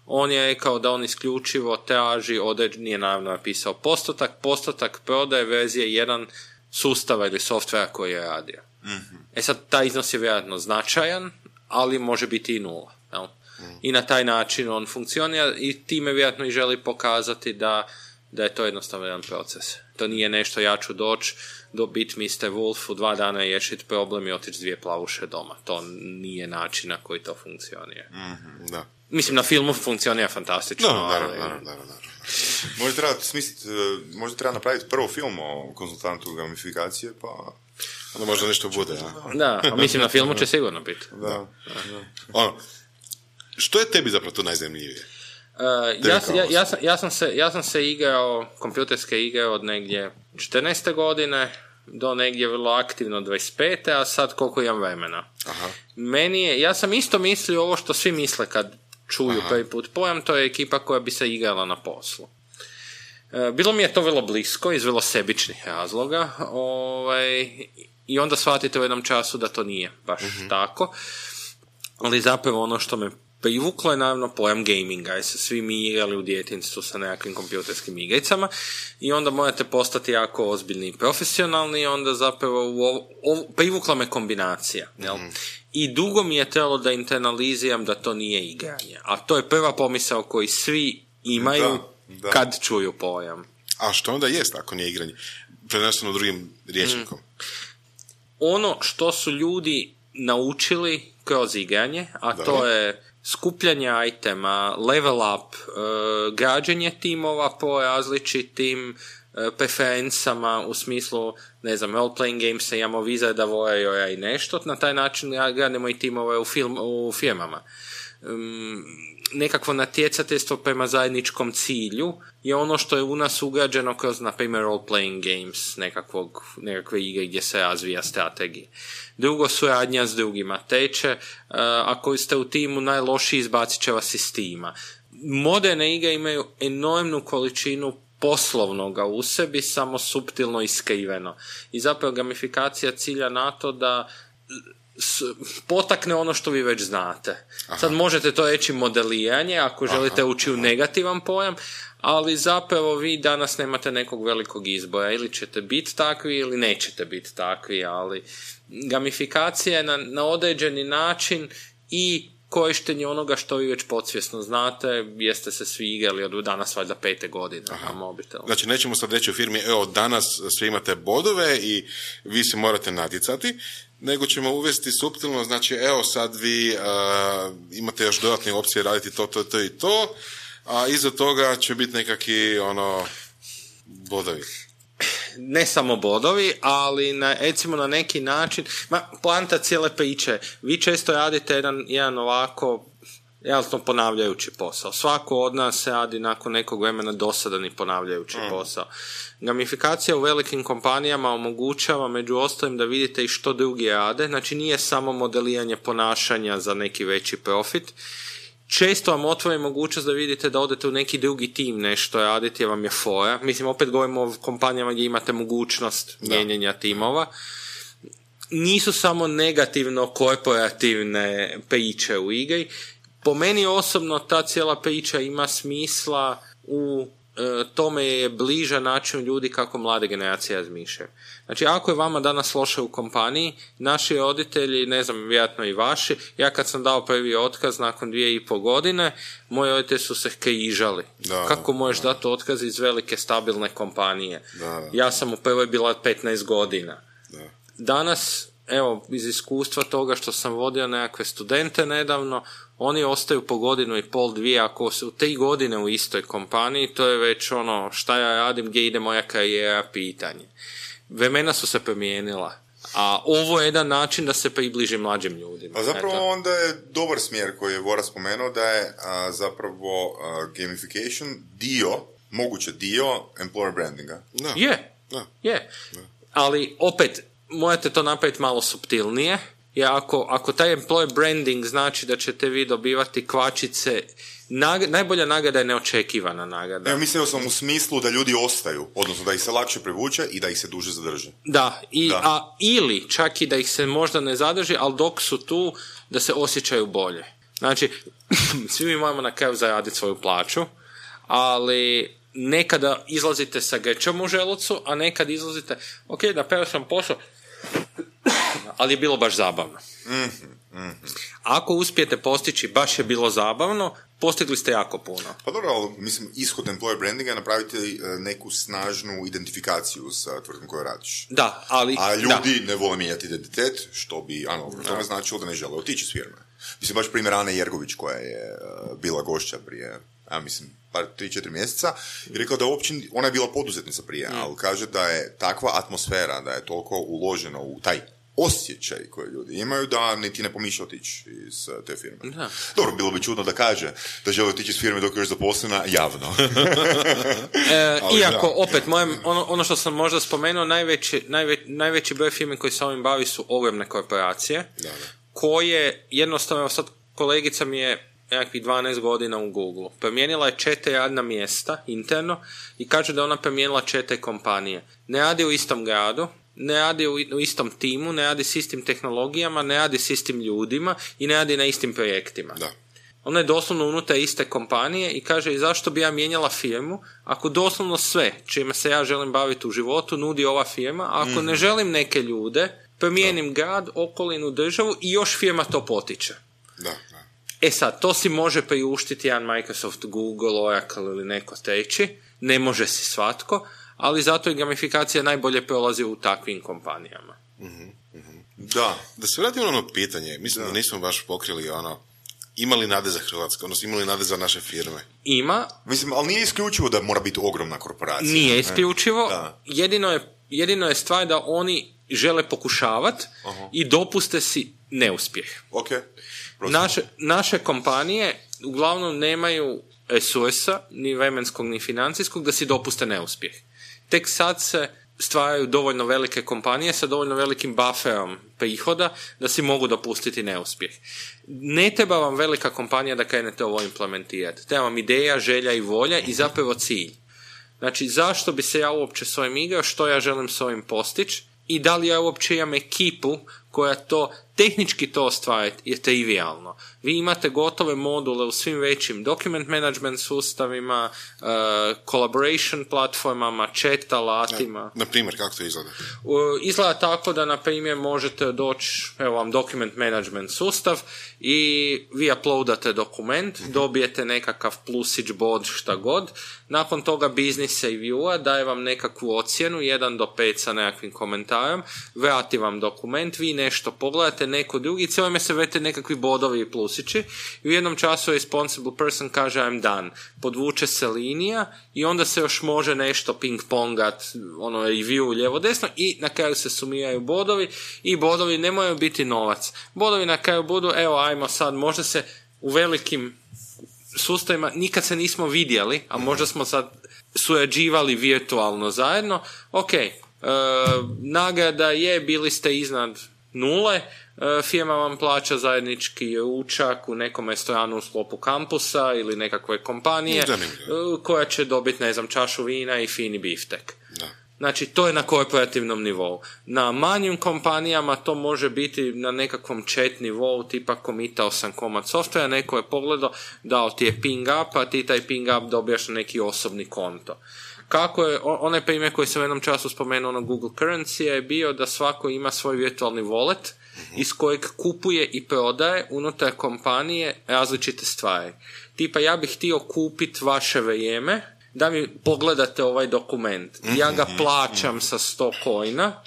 On je rekao da on isključivo traži nije naravno napisao postotak prodaje verzije 1 sustava ili softvera koji je radio. Mm-hmm. Sad, taj iznos je vjerojatno značajan, ali može biti i 0. Jel? I na taj način on funkcionira i time vjerojatno i želi pokazati da je to jednostavno jedan proces. To nije nešto ja ću doći biti Mr. Wolf u 2 dana i riješiti problem i otići 2 plavuše doma. To nije način na koji to funkcionira. Mm-hmm, da. Mislim, na filmu funkcionira fantastično. Naravno. Možda treba napraviti prvo film o konzultantu gamifikacije, pa... Onda možda nešto bude, ja? Da, a mislim, na filmu će sigurno biti. Da. Što je tebi zapravo to najzanimljivije? Ja sam se igrao, kompjuterske igre od negdje 14. godine do negdje vrlo aktivno 25. a sad koliko imam vremena. Aha. Ja sam isto mislio ovo što svi misle kad čuju prvi put pojam, to je ekipa koja bi se igrala na poslu. Bilo mi je to vrlo blisko iz vrlo sebičnih razloga i onda shvatite u jednom času da to nije baš tako, ali zapravo ono što me privuklo je naravno pojam gaminga, jer se svi mi igrali u djetinjstvu sa nekakvim kompjuterskim igricama i onda morate postati jako ozbiljni i profesionalni i onda zapravo privukla me kombinacija. Jel? I dugo mi je trebalo da internaliziram da to nije igranje, a to je prva pomisao koju svi imaju kad čuju pojam. A što onda jest ako nije igranje? Preneseno drugim rječnikom. Ono što su ljudi naučili kroz igranje, a to je skupljanje itema, level up, građenje timova po različitim preferencama u smislu, ne znam, role-playing gamesa, imamo Wizarda, Warriora i nešto, na taj način gradimo i timove u firmama. Nekakvo natjecateljstvo prema zajedničkom cilju je ono što je u nas ugrađeno kroz, na primjer, role-playing games, nekakve igre gdje se razvija strategija. Drugo, suradnja s drugima. Treće, ako ste u timu najlošiji, izbacit će vas iz tima. Moderne igre imaju enormnu količinu poslovnoga u sebi, samo suptilno i skriveno. I zapravo gamifikacija cilja na to da potakne ono što vi već znate. Aha. Sad možete to reći modeliranje, ako želite ući u negativan pojam, ali zapravo vi danas nemate nekog velikog izbora. Ili ćete biti takvi ili nećete biti takvi, ali gamifikacija je na određeni način i korištenje onoga što vi već podsvjesno znate, jeste se svi igrali od danas valjda 5. godine na mobitelu. Znači, nećemo sad reći u firmi, evo, danas svi imate bodove i vi se morate natjecati, nego ćemo uvesti suptilno, znači, evo, sad vi imate još dodatne opcije raditi to i to, a iza toga će biti nekakvi, bodovi. Ne samo bodovi, ali recimo na neki način, poanta cijele priče, vi često radite jedan ovako jasno ponavljajući posao. Svako od nas radi nakon nekog vremena dosadan i ponavljajući posao. Gamifikacija u velikim kompanijama omogućava među ostalim da vidite i što drugi rade, znači nije samo modeliranje ponašanja za neki veći profit. Često vam otvori mogućnost da vidite da odete u neki drugi tim nešto raditi, jer vam je fora. Mislim, opet govorimo o kompanijama gdje imate mogućnost mijenjanja timova. Nisu samo negativno korporativne priče u igri. Po meni osobno ta cijela priča ima smisla u tome je bliža način ljudi kako mlade generacije razmišljaju. Znači, ako je vama danas loše u kompaniji, naši roditelji, ne znam, vjerojatno i vaši, ja kad sam dao prvi otkaz nakon 2,5 godine, moji roditelji su se križali. Kako možeš dati otkaz iz velike stabilne kompanije? Ja sam u prvoj bila 15 godina. Danas evo, iz iskustva toga što sam vodio nekakve studente nedavno, oni ostaju po 1.5 godinu, 2, ako su 3 godine u istoj kompaniji, to je već ono, šta ja radim, gdje ide moja karijera, pitanje. Vremena su se promijenila. A ovo je jedan način da se približi mlađim ljudima. A zapravo onda je dobar smjer koji je Vora spomenuo, da je zapravo gamification moguće dio employer brandinga. Da. Je. Ali opet, morate to napraviti malo suptilnije, jer ako taj employer branding znači da ćete vi dobivati kvačice, najbolja nagrada je neočekivana nagrada. Ja mislio sam u smislu da ljudi ostaju, odnosno da ih se lakše privuče i da ih se duže zadrži. Ili čak i da ih se možda ne zadrži, ali dok su tu, da se osjećaju bolje. Znači, svi mi moramo na kraju zaraditi svoju plaću, ali nekada izlazite sa grčom u želucu, a nekad izlazite, ok, napravio sam posao, ali je bilo baš zabavno. Ako uspijete postići baš je bilo zabavno, postigli ste jako puno. Pa dobro, ali mislim, ishod employer brandinga je napraviti neku snažnu identifikaciju sa tvrtkom koju radiš. Da, ali... A ljudi ne vole mijenjati identitet, što bi, tome značilo da ne žele otići s firme. Mislim, baš primjer Ane Jergović, koja je bila gošća prije, 3-4 mjeseca, i rekao da uopće, ona je bila poduzetnica prije, ali kaže da je takva atmosfera, da je toliko uloženo u taj osjećaj koje ljudi imaju, da niti ne pomišlja otići iz te firme. Da. Dobro, bilo bi čudno da kaže da želi otići iz firme dok je još zaposlena javno. Iako, opet, ono što sam možda spomenuo, najveći broj firme koji se ovim bavi su ogromne korporacije, koje jednostavno, sad kolegica mi je nekakvih 12 godina u Google. Promijenila je 4 radna mjesta interno i kaže da ona promijenila 4 kompanije. Ne radi u istom gradu, ne radi u istom timu, ne radi s istim tehnologijama, ne radi s istim ljudima i ne radi na istim projektima. Da. Ona je doslovno unutar iste kompanije i kaže i zašto bi ja mijenjala firmu ako doslovno sve čime se ja želim baviti u životu nudi ova firma, a ako ne želim neke ljude, promijenim grad, okolinu, državu i još firma to potiče. Da. Sad, to si može priuštiti jedan Microsoft, Google, Oracle ili neko treći, ne može si svatko, ali zato i gamifikacija najbolje prolazi u takvim kompanijama. Da se vratimo na ono pitanje, mislim da nismo baš pokrili imali nade za Hrvatsku, odnosno imali nade za naše firme? Ima. Mislim, ali nije isključivo da mora biti ogromna korporacija. Nije isključivo, jedino je stvar da oni žele pokušavati i dopuste si neuspjeh. Naše kompanije uglavnom nemaju resursa, ni vremenskog, ni financijskog, da si dopuste neuspjeh. Tek sad se stvaraju dovoljno velike kompanije sa dovoljno velikim bufferom prihoda da si mogu dopustiti neuspjeh. Ne treba vam velika kompanija da krenete ovo implementirati. Treba vam ideja, želja i volja i zapravo cilj. Znači, zašto bi se ja uopće s ovim igrao, što ja želim s ovim postići i da li ja uopće imam ekipu koja to tehnički to ostvariti je trivialno. Vi imate gotove module u svim većim document management sustavima, collaboration platformama, chat alatima. Na primjer, kako to izgleda? Izgleda tako da, na primjer, možete doći, evo vam document management sustav i vi uploadate dokument, dobijete nekakav plusić, bod, šta god. Nakon toga business reviewa daje vam nekakvu ocjenu, 1 do 5 sa nekakvim komentarom, vrati vam dokument, vi nešto pogledate, neko drugi, cijelo se vrete nekakvi bodovi i plusići i u jednom času responsible person kaže I'm done. Podvuče se linija i onda se još može nešto ping-pongat, review lijevo desno i na kraju se sumiraju bodovi i bodovi ne moraju biti novac. Bodovi na kraju budu, evo ajmo sad, možda se u velikim sustavima nikad se nismo vidjeli, a možda smo sad surađivali virtualno zajedno, nagrada je, bili ste iznad 0, firma vam plaća zajednički ručak u nekom restoranu u sklopu kampusa ili nekakve kompanije koja će dobiti, čašu vina i fini biftek. Znači, to je na korporativnom nivou. Na manjim kompanijama to može biti na nekakvom chat nivou, tipa komitao sam komad softvera, neko je pogledao, dao ti je ping up, a ti taj ping up dobijaš na neki osobni konto. Kako je, onaj primjer koji sam u jednom času spomenuo na Google Currency je bio da svako ima svoj virtualni wallet iz kojeg kupuje i prodaje unutar kompanije različite stvari. Tipa, ja bih htio kupiti vaše vrijeme da mi pogledate ovaj dokument. Ja ga plaćam sa 100 coina,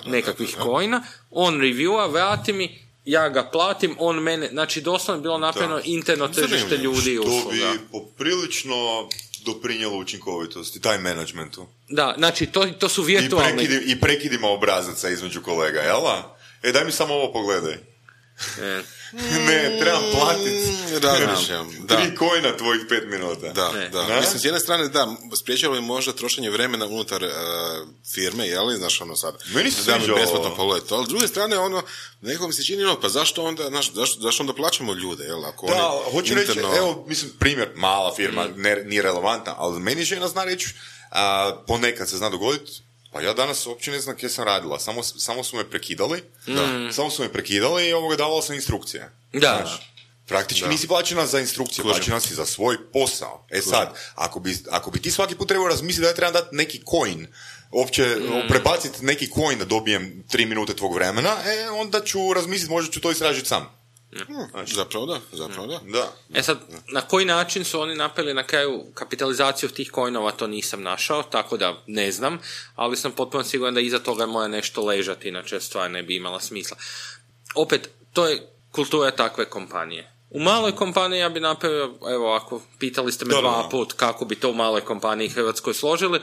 nekakvih coina, on reviewa, vrati mi, ja ga platim, on mene, znači doslovno je bilo napravljeno interno tržište ljudi i usluga. Što bi poprilično doprinjelo učinkovitosti, time managementu. Da, znači to su virtualni... I prekidima obrazaca između kolega, jel'a? Daj mi samo ovo pogledaj. Ne, trebam platiti 3 coina tvojih 5 minuta. Da. Mislim, s jedne strane, spriječalo je možda trošenje vremena unutar firme, jel? Znaš, ono sad, meni se sviđa ovo. Ali s druge strane, nekako mi se čini, pa zašto onda plaćamo ljude, jel? Ako hoću reći, evo, mislim, primjer, mala firma, nije relevantna, ali meni žena zna reći, ponekad se zna dogoditi, pa ja danas uopće ne znam gdje sam radila, samo su me prekidali, i davalo sam instrukcije. Da. Znači, praktički nisi plaćena za instrukcije, plaćena si za svoj posao. Sad, ako bi ti svaki put trebao razmisliti da ja trebam dati neki coin, uopće prebaciti neki coin da dobijem 3 minute tvog vremena, onda ću razmisliti, možda ću to istražiti sam. Znači, zapravo da. Sad, na koji način su oni napravili na kraju kapitalizaciju tih coinova, to nisam našao, tako da ne znam, ali sam potpuno siguran da iza toga mora nešto ležati, inače stvar ne bi imala smisla. Opet, to je kultura takve kompanije. U maloj kompaniji ja bi napravio, evo, ako pitali ste me 2 put kako bi to u maloj kompaniji Hrvatskoj složili,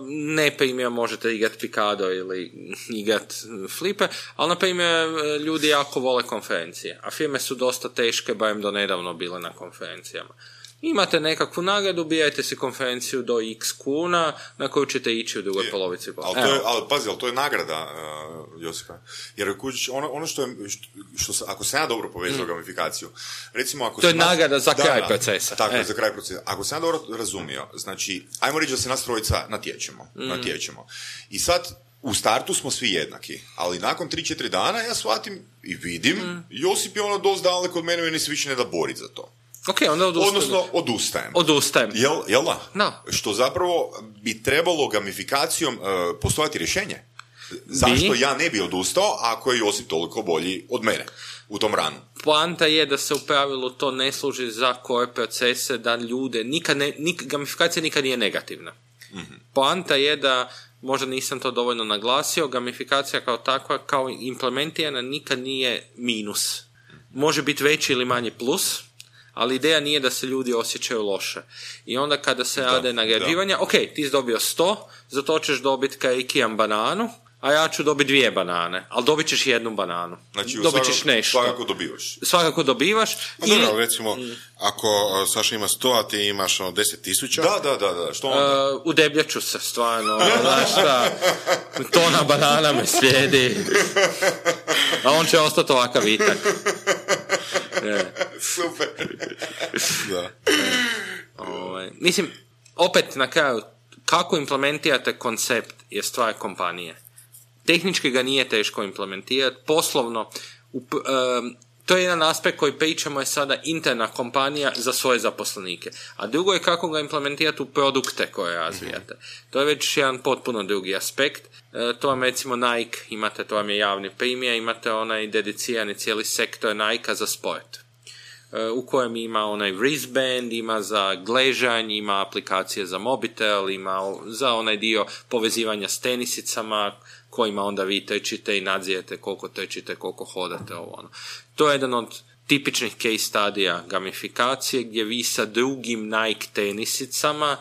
ne primjer možete igrat Picado ili igrat Flipe, ali na primjer ljudi jako vole konferencije, a firme su dosta teške, barem do nedavno bile na konferencijama. Imate nekakvu nagradu, bijajte si konferenciju do x kuna na koju ćete ići u drugoj polovici. Ali pazi, to je nagrada, Josipa. Jer ono što ako sam ja dobro povezao gamifikaciju, recimo ako... To je nagrada za kraj procesa. Tako, za kraj procesa. Ako sam ja dobro razumio, znači, ajmo reći da se nas trojica natječemo. I sad, u startu smo svi jednaki, ali nakon 3-4 dana ja shvatim i vidim, Josip je dosta daleko od mene i se više ne da boriti za to. Okay, onda odustajem. Jel da? No. Što zapravo bi trebalo gamifikacijom postojati rješenje. Zašto ja ne bi odustao ako je Josip toliko bolji od mene u tom ranu? Poanta je da se u pravilu to ne služi za koje procese, da ljude, gamifikacija nikad nije negativna. Poanta je da, možda nisam to dovoljno naglasio, gamifikacija kao takva, kao implementirana, nikad nije minus. Može biti veći ili manji plus, ali ideja nije da se ljudi osjećaju loše. I onda kada se rade nagrađivanja, ok, ti si dobio 100, za to ćeš dobiti kaikijam bananu, a ja ću dobiti 2 banane, ali dobit ćeš 1 bananu. Znači, dobit ćeš nešto. Svakako dobivaš. Dobro, recimo, ako Saša ima 100, a ti imaš 10,000. Da. Što onda? Udebljat ću se, stvarno. Znaš šta, tona banana me slijedi. A on će ostati ovakav vitak. Super. Mislim, opet na kraju, kako implementirate koncept je stvar kompanije. Tehnički ga nije teško implementirati, poslovno, to je jedan aspekt koji pričamo je sada interna kompanija za svoje zaposlenike, a drugo je kako ga implementirati u produkte koje razvijate. To je već jedan potpuno drugi aspekt. To vam recimo Nike, imate, to vam je javni primjer, imate onaj dedicirani cijeli sektor Nike za sport, u kojem ima onaj wristband, ima za gležanj, ima aplikacije za mobitel, ima za onaj dio povezivanja s tenisicama, kojima onda vi trčite i nadzirete koliko trčite, koliko hodate, To je jedan od tipičnih case studija gamifikacije, gdje vi sa drugim Nike tenisicama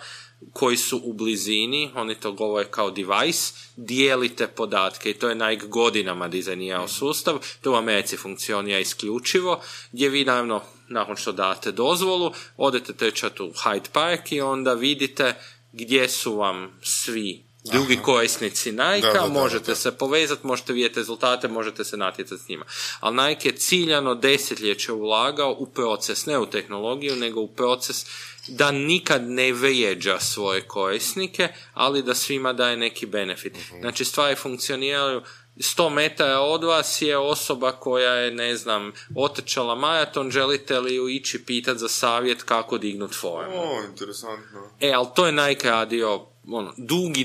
koji su u blizini, oni to govore kao device, dijelite podatke i to je Nike godinama dizajnirao sustav, to u Americi funkcionira isključivo, gdje vi naravno, nakon što date dozvolu, odete trčati u Hyde Park i onda vidite gdje su vam svi drugi korisnici Nike-a, možete se povezati, možete vidjeti rezultate, možete se natjecati s njima. Ali Nike je ciljano desetljeće ulagao u proces, ne u tehnologiju, nego u proces da nikad ne vrijeđa svoje korisnike, ali da svima daje neki benefit. Znači, stvari funkcioniraju. 100 metara od vas je osoba koja je, ne znam, otrčala maraton, želite li ju ići pitati za savjet kako dignut formu? Interesantno. Ali to je Nike radio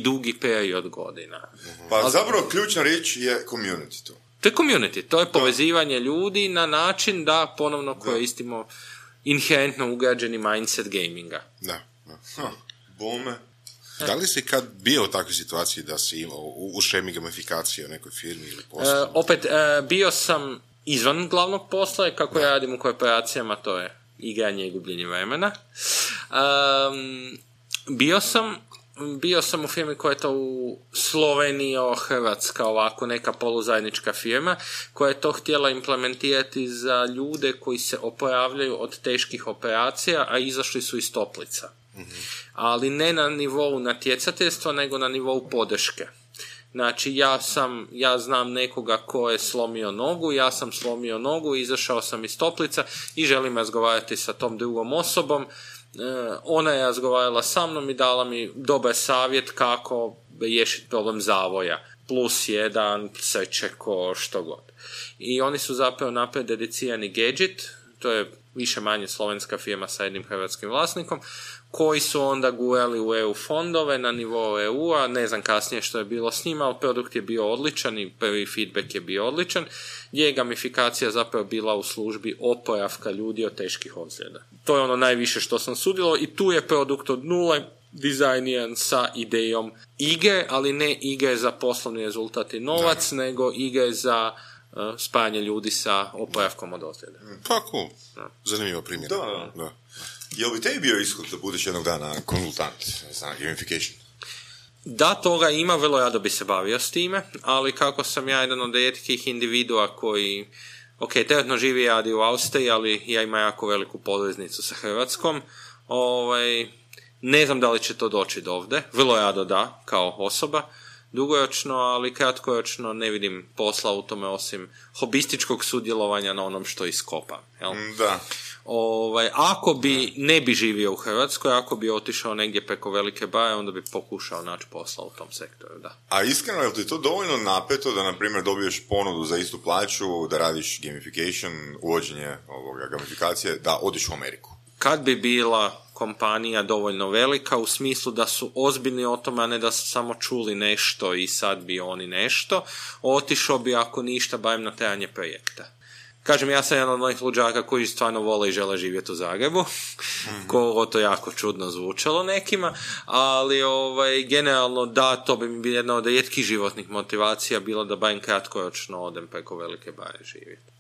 dugi period godina. Pa zapravo ključna riječ je community to. To je community, to je povezivanje ljudi na način da ponovno koristimo inherentno ugrađeni mindset gaminga. Bome. Da li si kad bio u takvoj situaciji da si imao u šemi gamifikacije u nekoj firmi ili poslu? Opet, bio sam izvan glavnog posla, kako ja radim u korporacijama, to je igranje i gubljenje vremena. Bio sam u firmi koja je to u Sloveniji, Hrvatska, ovako neka poluzajednička firma, koja je to htjela implementirati za ljude koji se oporavljaju od teških operacija, a izašli su iz toplica. Mm-hmm. Ali ne na nivou natjecateljstva, nego na nivou podrške. Znači, ja znam nekoga ko je slomio nogu, ja sam slomio nogu, izašao sam iz toplica i želim razgovarati sa tom drugom osobom. Ona je razgovarala sa mnom i dala mi dobar savjet kako riješiti problem zavoja. +1, srčeko, što god. I oni su zapravo napravili dedicirani gadget, to je više manje slovenska firma sa jednim hrvatskim vlasnikom, koji su onda gurali u EU fondove na nivou EU-a, ne znam kasnije što je bilo s njima, ali produkt je bio odličan i prvi feedback je bio odličan, gdje je gamifikacija zapravo bila u službi oporavka ljudi od teških ozljeda. To je ono najviše što sam sudjelovao i tu je produkt od nule dizajniran sa idejom igre, ali ne igre za poslovni rezultat i novac, nego igre za spajanje ljudi sa oporavkom od ozljeda. Pa cool. Zanimljivo primjer. Da. Jel bi tebi bio ishod da budeš jednog dana konzultant za gamification? Da, toga ima, vrlo rado bi se bavio s time, ali kako sam ja jedan od rijetkih individua koji, trenutno živi i radi u Austriji, ali ja imam jako veliku poveznicu sa Hrvatskom, ne znam da li će to doći do ovdje, vrlo rado da, kao osoba, dugoročno, ali kratkoročno ne vidim posla u tome osim hobističkog sudjelovanja na onom što iskopam. Jel? Da. Ako bi ne bi živio u Hrvatskoj, ako bi otišao negdje preko velike baje, onda bi pokušao naći posla u tom sektoru, da. A iskreno, je li ti to dovoljno napeto da, na primjer, dobiješ ponudu za istu plaću, da radiš gamification, uvođenje gamifikacije, da odiš u Ameriku? Kad bi bila kompanija dovoljno velika, u smislu da su ozbiljni o tome, a ne da su samo čuli nešto i sad bi oni nešto, otišao bi ako ništa, barem na trajanje projekta. Kažem, ja sam jedan od onih luđaka koji stvarno vole i žele živjeti u Zagrebu, koliko to jako čudno zvučalo nekima, ali generalno da, to bi mi bila jedna od rijetkih životnih motivacija bilo da barem kratkoročno odem preko velike baje živjeti.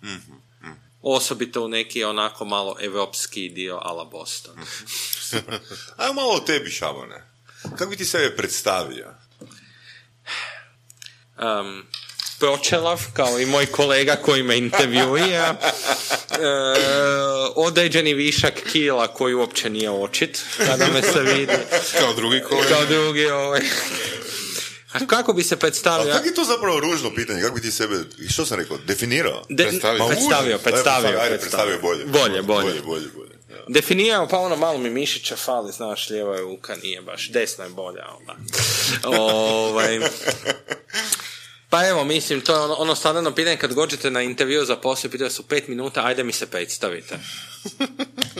Osobito u neki onako malo evropski dio ala Boston. Super. Ajmo malo o tebi, Šabane. Kako bi ti sebe predstavio? Pročelav, kao i moj kolega koji me intervjuira, određeni višak kila koji uopće nije očit, kada me se vidi. Kao drugi kolega. Kao drugi, A kako bi se predstavio? A kako je to zapravo ružno pitanje? Kako bi ti sebe, što sam rekao, definirao? Predstavio bolje. Definirao, pa ono malo mi mišića fali, znaš, lijeva je ruka, nije baš, desna je bolja. Pa evo, mislim, to je ono standardno pitanje kad gođete na intervju za posao, pitaju su 5 minuta, ajde mi se predstavite.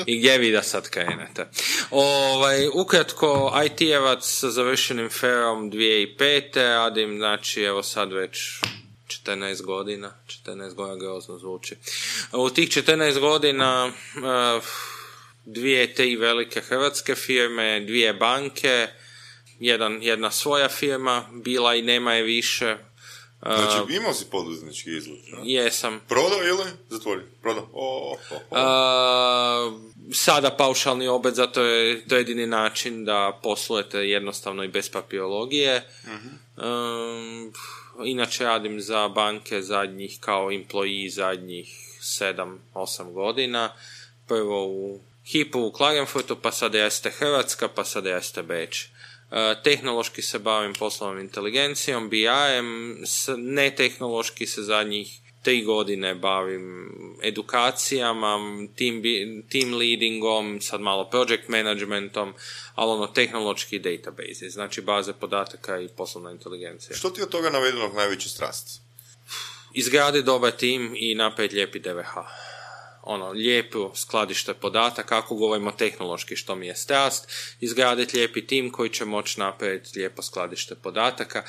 I gdje vi da sad krenete? Ukratko, IT-evac sa završenim ferom 2005. Radim, znači, evo sad već 14 godina grozno zvuči. U tih 14 godina 2-3 velike hrvatske firme, 2 banke, jedna svoja firma, bila i nema je više. Znači, imao si poduzetnički izgled? Jesam. Prodao ili zatvori? Prodao. Sada paušalni obet, zato je to jedini način da poslujete jednostavno i bez papirologije. Inače radim za banke zadnjih kao employee zadnjih 7-8 godina. Prvo u Hypo u Klagenfurtu, pa sada jeste Hrvatska, pa sada jeste Beč. Tehnološki se bavim poslovnom inteligencijom, BI-em, netehnološki se zadnjih 3 godine bavim edukacijama, team leadingom, sad malo project managementom, ali tehnološki database, znači baze podataka i poslovna inteligencija. Što ti od toga navedenog najveća strast? Izgradi dobar tim i napraviti lijepi DVH. Lijepo skladište podataka, ako govorimo tehnološki što mi je strast, izgraditi lijepi tim koji će moći napraviti lijepo skladište podataka.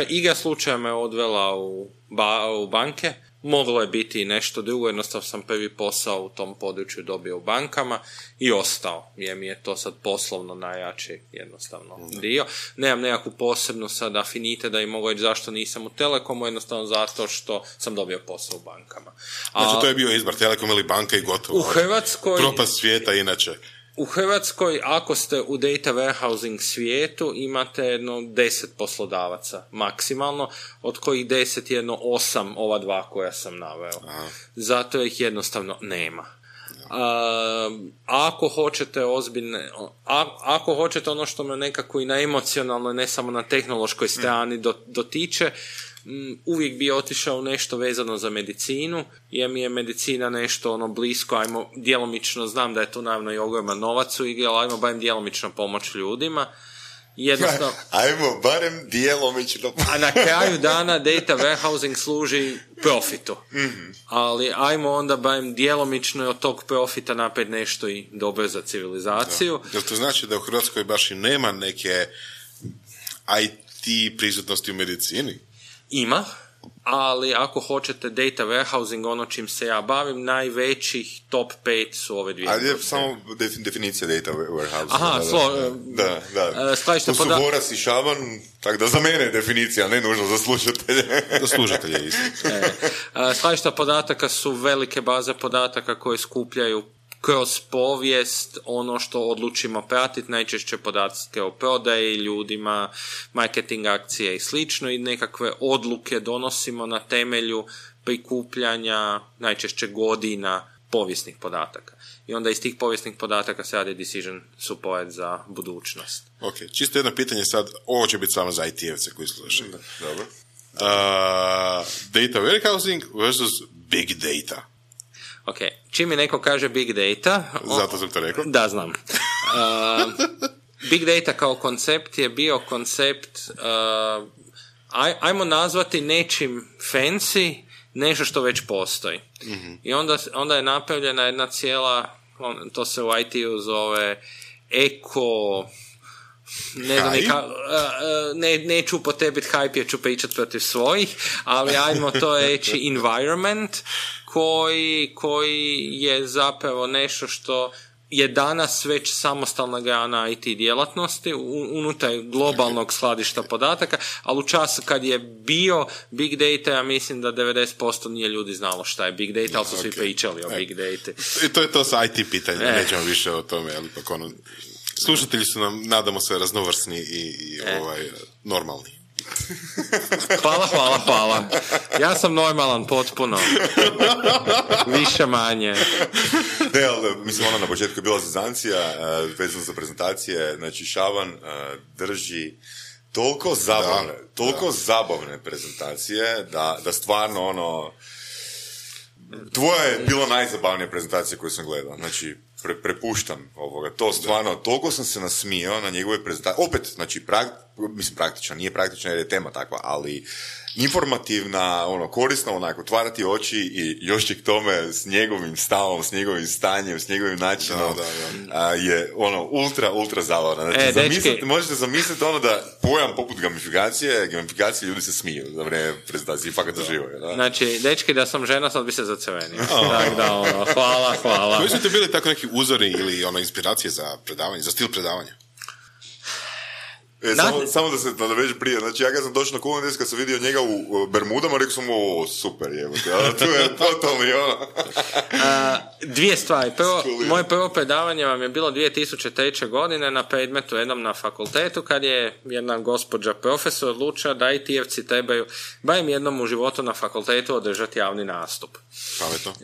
igra slučaja me odvela u banke. Moglo je biti nešto drugo, jednostavno sam prvi posao u tom području dobio u bankama i ostao, jer mi je to sad poslovno najjači jednostavno dio. Nemam nekakvu posebnu sad afinite da im mogu reći zašto nisam u Telekomu, jednostavno zato što sam dobio posao u bankama. Znači to je bio izbor, Telekom ili banka i gotovo. U Hrvatskoj... Propast svijeta inače. U Hrvatskoj, ako ste u data warehousing svijetu, imate 10 poslodavaca maksimalno, od kojih 10 jedno 8 ova dva koja sam naveo. Aha. Zato ih jednostavno nema. Ako hoćete ako hoćete ono što me nekako i na emocionalnoj, ne samo na tehnološkoj strani dotiče, uvijek bi otišao u nešto vezano za medicinu, jer mi je medicina nešto blisko, ajmo djelomično, znam da je tu naravno i ogroman novac u igri, ali ajmo barem djelomično pomoć ljudima. Jednostavno, ajmo barem djelomično. A na kraju dana data warehousing služi profitu. Mm-hmm. Ali ajmo onda barem djelomično od tog profita napred nešto i dobro za civilizaciju. Jel to znači da u Hrvatskoj baš i nema neke IT prisutnosti u medicini? Ima, ali ako hoćete data warehousing, ono čim se ja bavim, najvećih top 5 su ove dvije. Ali je samo definicija data warehousing. Aha, da. To su Voras i Šaban, tako da za mene je definicija, ne nužno za slušatelje. Za slušatelje isto. Skladišta podataka su velike baze podataka koje skupljaju kroz povijest ono što odlučimo pratiti, najčešće podatke o prodaji, ljudima, marketing akcije i slično, i nekakve odluke donosimo na temelju prikupljanja najčešće godina povijesnih podataka. I onda iz tih povijesnih podataka se radi decision support za budućnost. Ok, čisto jedno pitanje sad, ovo će biti samo za IT-evce koji slušaju. Dobro. Data warehousing versus big data. Ok, čim mi neko kaže big data... Zato sam to rekao. Da, znam. Big data kao koncept je bio koncept, ajmo nazvati nečim fancy, nešto što već postoji. Mm-hmm. I onda je napravljena jedna cijela, to se u IT-u zove neću upotrebiti hype jer ću pričati protiv svojih, ali ajmo to reći environment koji je zapravo nešto što je danas već samostalna grana IT djelatnosti unutar globalnog skladišta podataka, ali u času kad je bio big data, ja mislim da 90% nije ljudi znalo šta je big data, ali su svi pričali o big data. I to je to sa IT pitanjem, nećemo više o tome, ali ipak slušatelji su nam, nadamo se, raznovrsni i normalni. Hvala. Ja sam normalan potpuno. Više manje. Ne, ali mislim, na početku je bila zezancija, vezano za prezentacije, znači Šaban drži toliko zabavne prezentacije da stvarno tvoja je bila najzabavnija prezentacija koju sam gledao. Znači, prepuštam ovoga. To stvarno, toliko sam se nasmijao na njegove prezentacije. Opet, znači, praktična, nije praktična jer je tema takva, ali informativna, korisna, otvarati oči i još k tome s njegovim stavom, s njegovim stanjem, s njegovim načinom, je ultra zabavna. Znači, možete zamisliti da pojam poput gamifikacije ljudi se smiju za vrijeme prezentacije i fakat uživaju. Da? Znači, dečki, da sam žena, sad bi se zacrvenio. Hvala. Koji su ti bili tako neki uzori ili inspiracije za predavanje, za stil predavanja? Samo da se nadoveže prije, znači ja kad sam došao na Kulandes, kad sam vidio njega u Bermudama, rekao sam super jebote, to je totalni Dvije stvari. Moje prvo predavanje vam je bilo 2003. godine na predmetu jednom na fakultetu, kad je jedna gospođa profesor odlučila da IT-evci trebaju barem jednom u životu na fakultetu održati javni nastup. Pametno.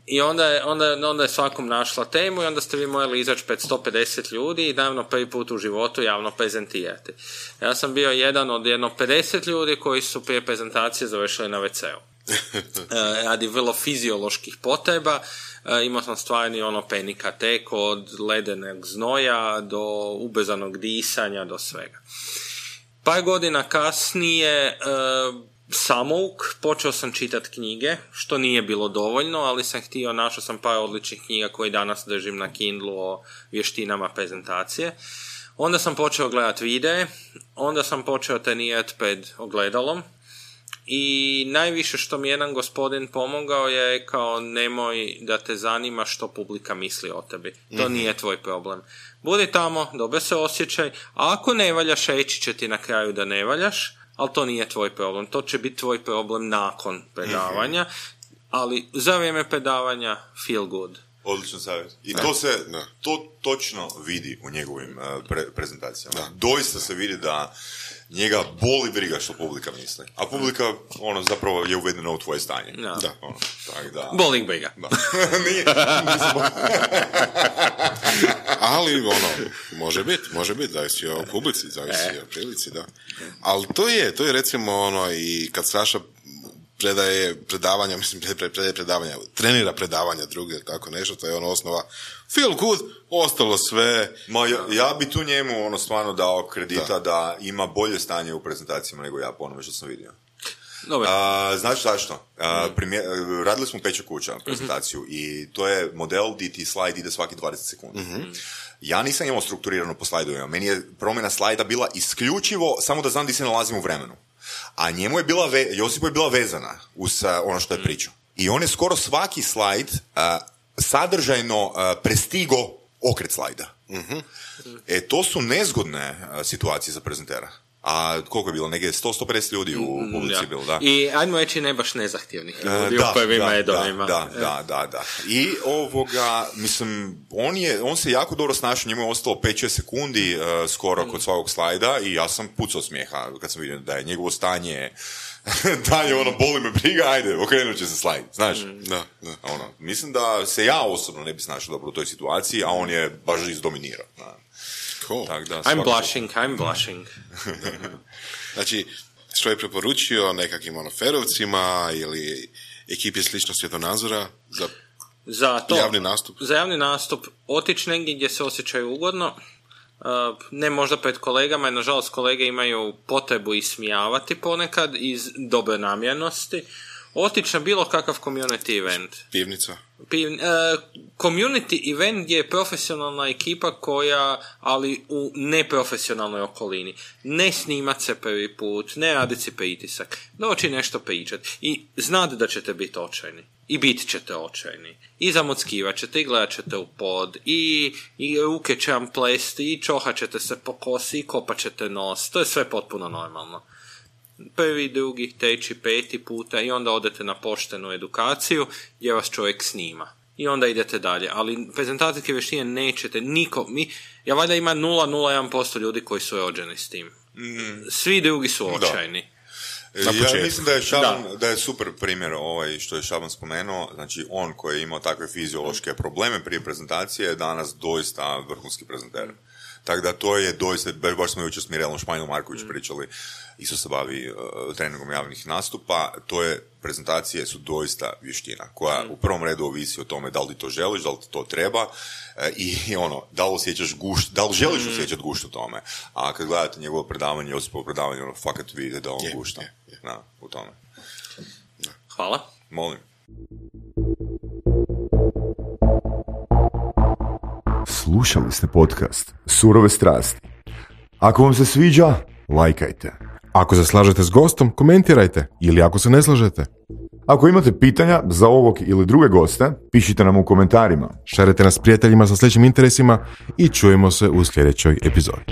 I onda je svakom našla temu i onda ste vi morali izaći pred 150 ljudi i naravno prvi put u životu javno prezentirati. Ja sam bio jedan od 50 ljudi koji su prije prezentacije završili na WC-u. Radi vrlo fizioloških potreba, imao sam stvarni panika tek od ledenog znoja do ubrzanog disanja do svega. Par godina kasnije samouk, počeo sam čitati knjige, što nije bilo dovoljno, ali sam našao sam par odličnih knjiga koje danas držim na Kindlu o vještinama prezentacije. Onda sam počeo gledati videe, onda sam počeo trenirati pred ogledalom i najviše što mi jedan gospodin pomogao je rekao nemoj da te zanima što publika misli o tebi. To nije tvoj problem. Budi tamo, dobro se osjećaj, a ako ne valjaš, reći će ti na kraju da ne valjaš, ali to nije tvoj problem. To će biti tvoj problem nakon predavanja, ali za vrijeme predavanja feel good. Odličan savjet. I to točno vidi u njegovim prezentacijama. Doista se vidi da njega boli briga što publika misli. A publika, zapravo je uvedena u tvoje stanje. Tak da. Boli briga. Da. Ali, može biti, zavisi o publici, zavisi o prilici, da. Ali to je recimo i kad Saša predaje predavanja, trenira predavanja druge, tako nešto, to je osnova feel good, ostalo sve. Ja bi tu njemu stvarno dao kredita da ima bolje stanje u prezentacijama nego ja po onome što sam vidio. Znači zašto? Radili smo Peća kuća prezentaciju i to je model gdje ti slajd ide svaki 20 sekundi. Ja nisam imao strukturirano po slajdovima. Meni je promjena slajda bila isključivo samo da znam gdje se nalazim u vremenu. A njemu je Josipu je bila vezana uz ono što je pričao. I on je skoro svaki slajd sadržajno prestigo okret slajda. To su nezgodne situacije za prezentera. A koliko je bilo? Negdje 100-150 ljudi u publici bilo, da. I ajmo reći ne baš nezahtjevnih ljudi u prvim redovima. Da. I mislim, on se jako dobro snašao, njemu je ostalo 5-6 sekundi skoro kod svakog slajda i ja sam pucao smijeha kad sam vidio da je njegovo stanje dalje boli me briga, ajde, okrenut će se slajd, znaš? Mislim da se ja osobno ne bi snašao dobro u toj situaciji, a on je baš izdominirao. Cool. I'm blushing. Znači, što je preporučio nekakvim ferovcima ili ekipi slično svjetonazora za javni nastup? Za javni nastup otići negdje gdje se osjećaju ugodno, ne možda pred kolegama, jer nažalost kolege imaju potrebu ismijavati ponekad iz dobre namjernosti. Otići na bilo kakav community event. Pivnica. Community event gdje je profesionalna ekipa ali u neprofesionalnoj okolini. Ne snimat se prvi put, ne raditi si pritisak. Doći nešto pričati. I znate da ćete biti očajni. I bit ćete očajni. I zamockivat ćete, i gledat ćete u pod, i ruke će vam plesti, i čohat ćete se po kosi, i kopat ćete nos. To je sve potpuno normalno. Prvi, drugi, treći, peti puta i onda odete na poštenu edukaciju gdje vas čovjek snima. I onda idete dalje. Ali prezentacijske vještine nećete ja valjda ima 0,01% ljudi koji su rođeni s tim. Svi drugi su očajni. Ja mislim da je super primjer što je Šaban spomenuo, znači on koji je imao takve fiziološke probleme prije prezentacije je danas doista vrhunski prezenter. Tako da to je doista, baš smo jučer s Mirelom Španjol-Marković pričali, isto se bavi treningom javnih nastupa, prezentacije su doista vještina, koja u prvom redu ovisi o tome da li ti to želiš, da li ti to treba i da li osjećaš gušt, da li želiš osjećati gušt u tome. A kad gledate njegovo predavanje, Josipovo predavanje, fakat vidite da on gušta u tome. Hvala. Molim. Slušali ste podcast Surove strasti. Ako vam se sviđa, lajkajte. Ako se slažete s gostom, komentirajte. Ili ako se ne slažete. Ako imate pitanja za ovog ili druge goste, pišite nam u komentarima. Šerite nas prijateljima sa sličnim interesima i čujemo se u sljedećoj epizodi.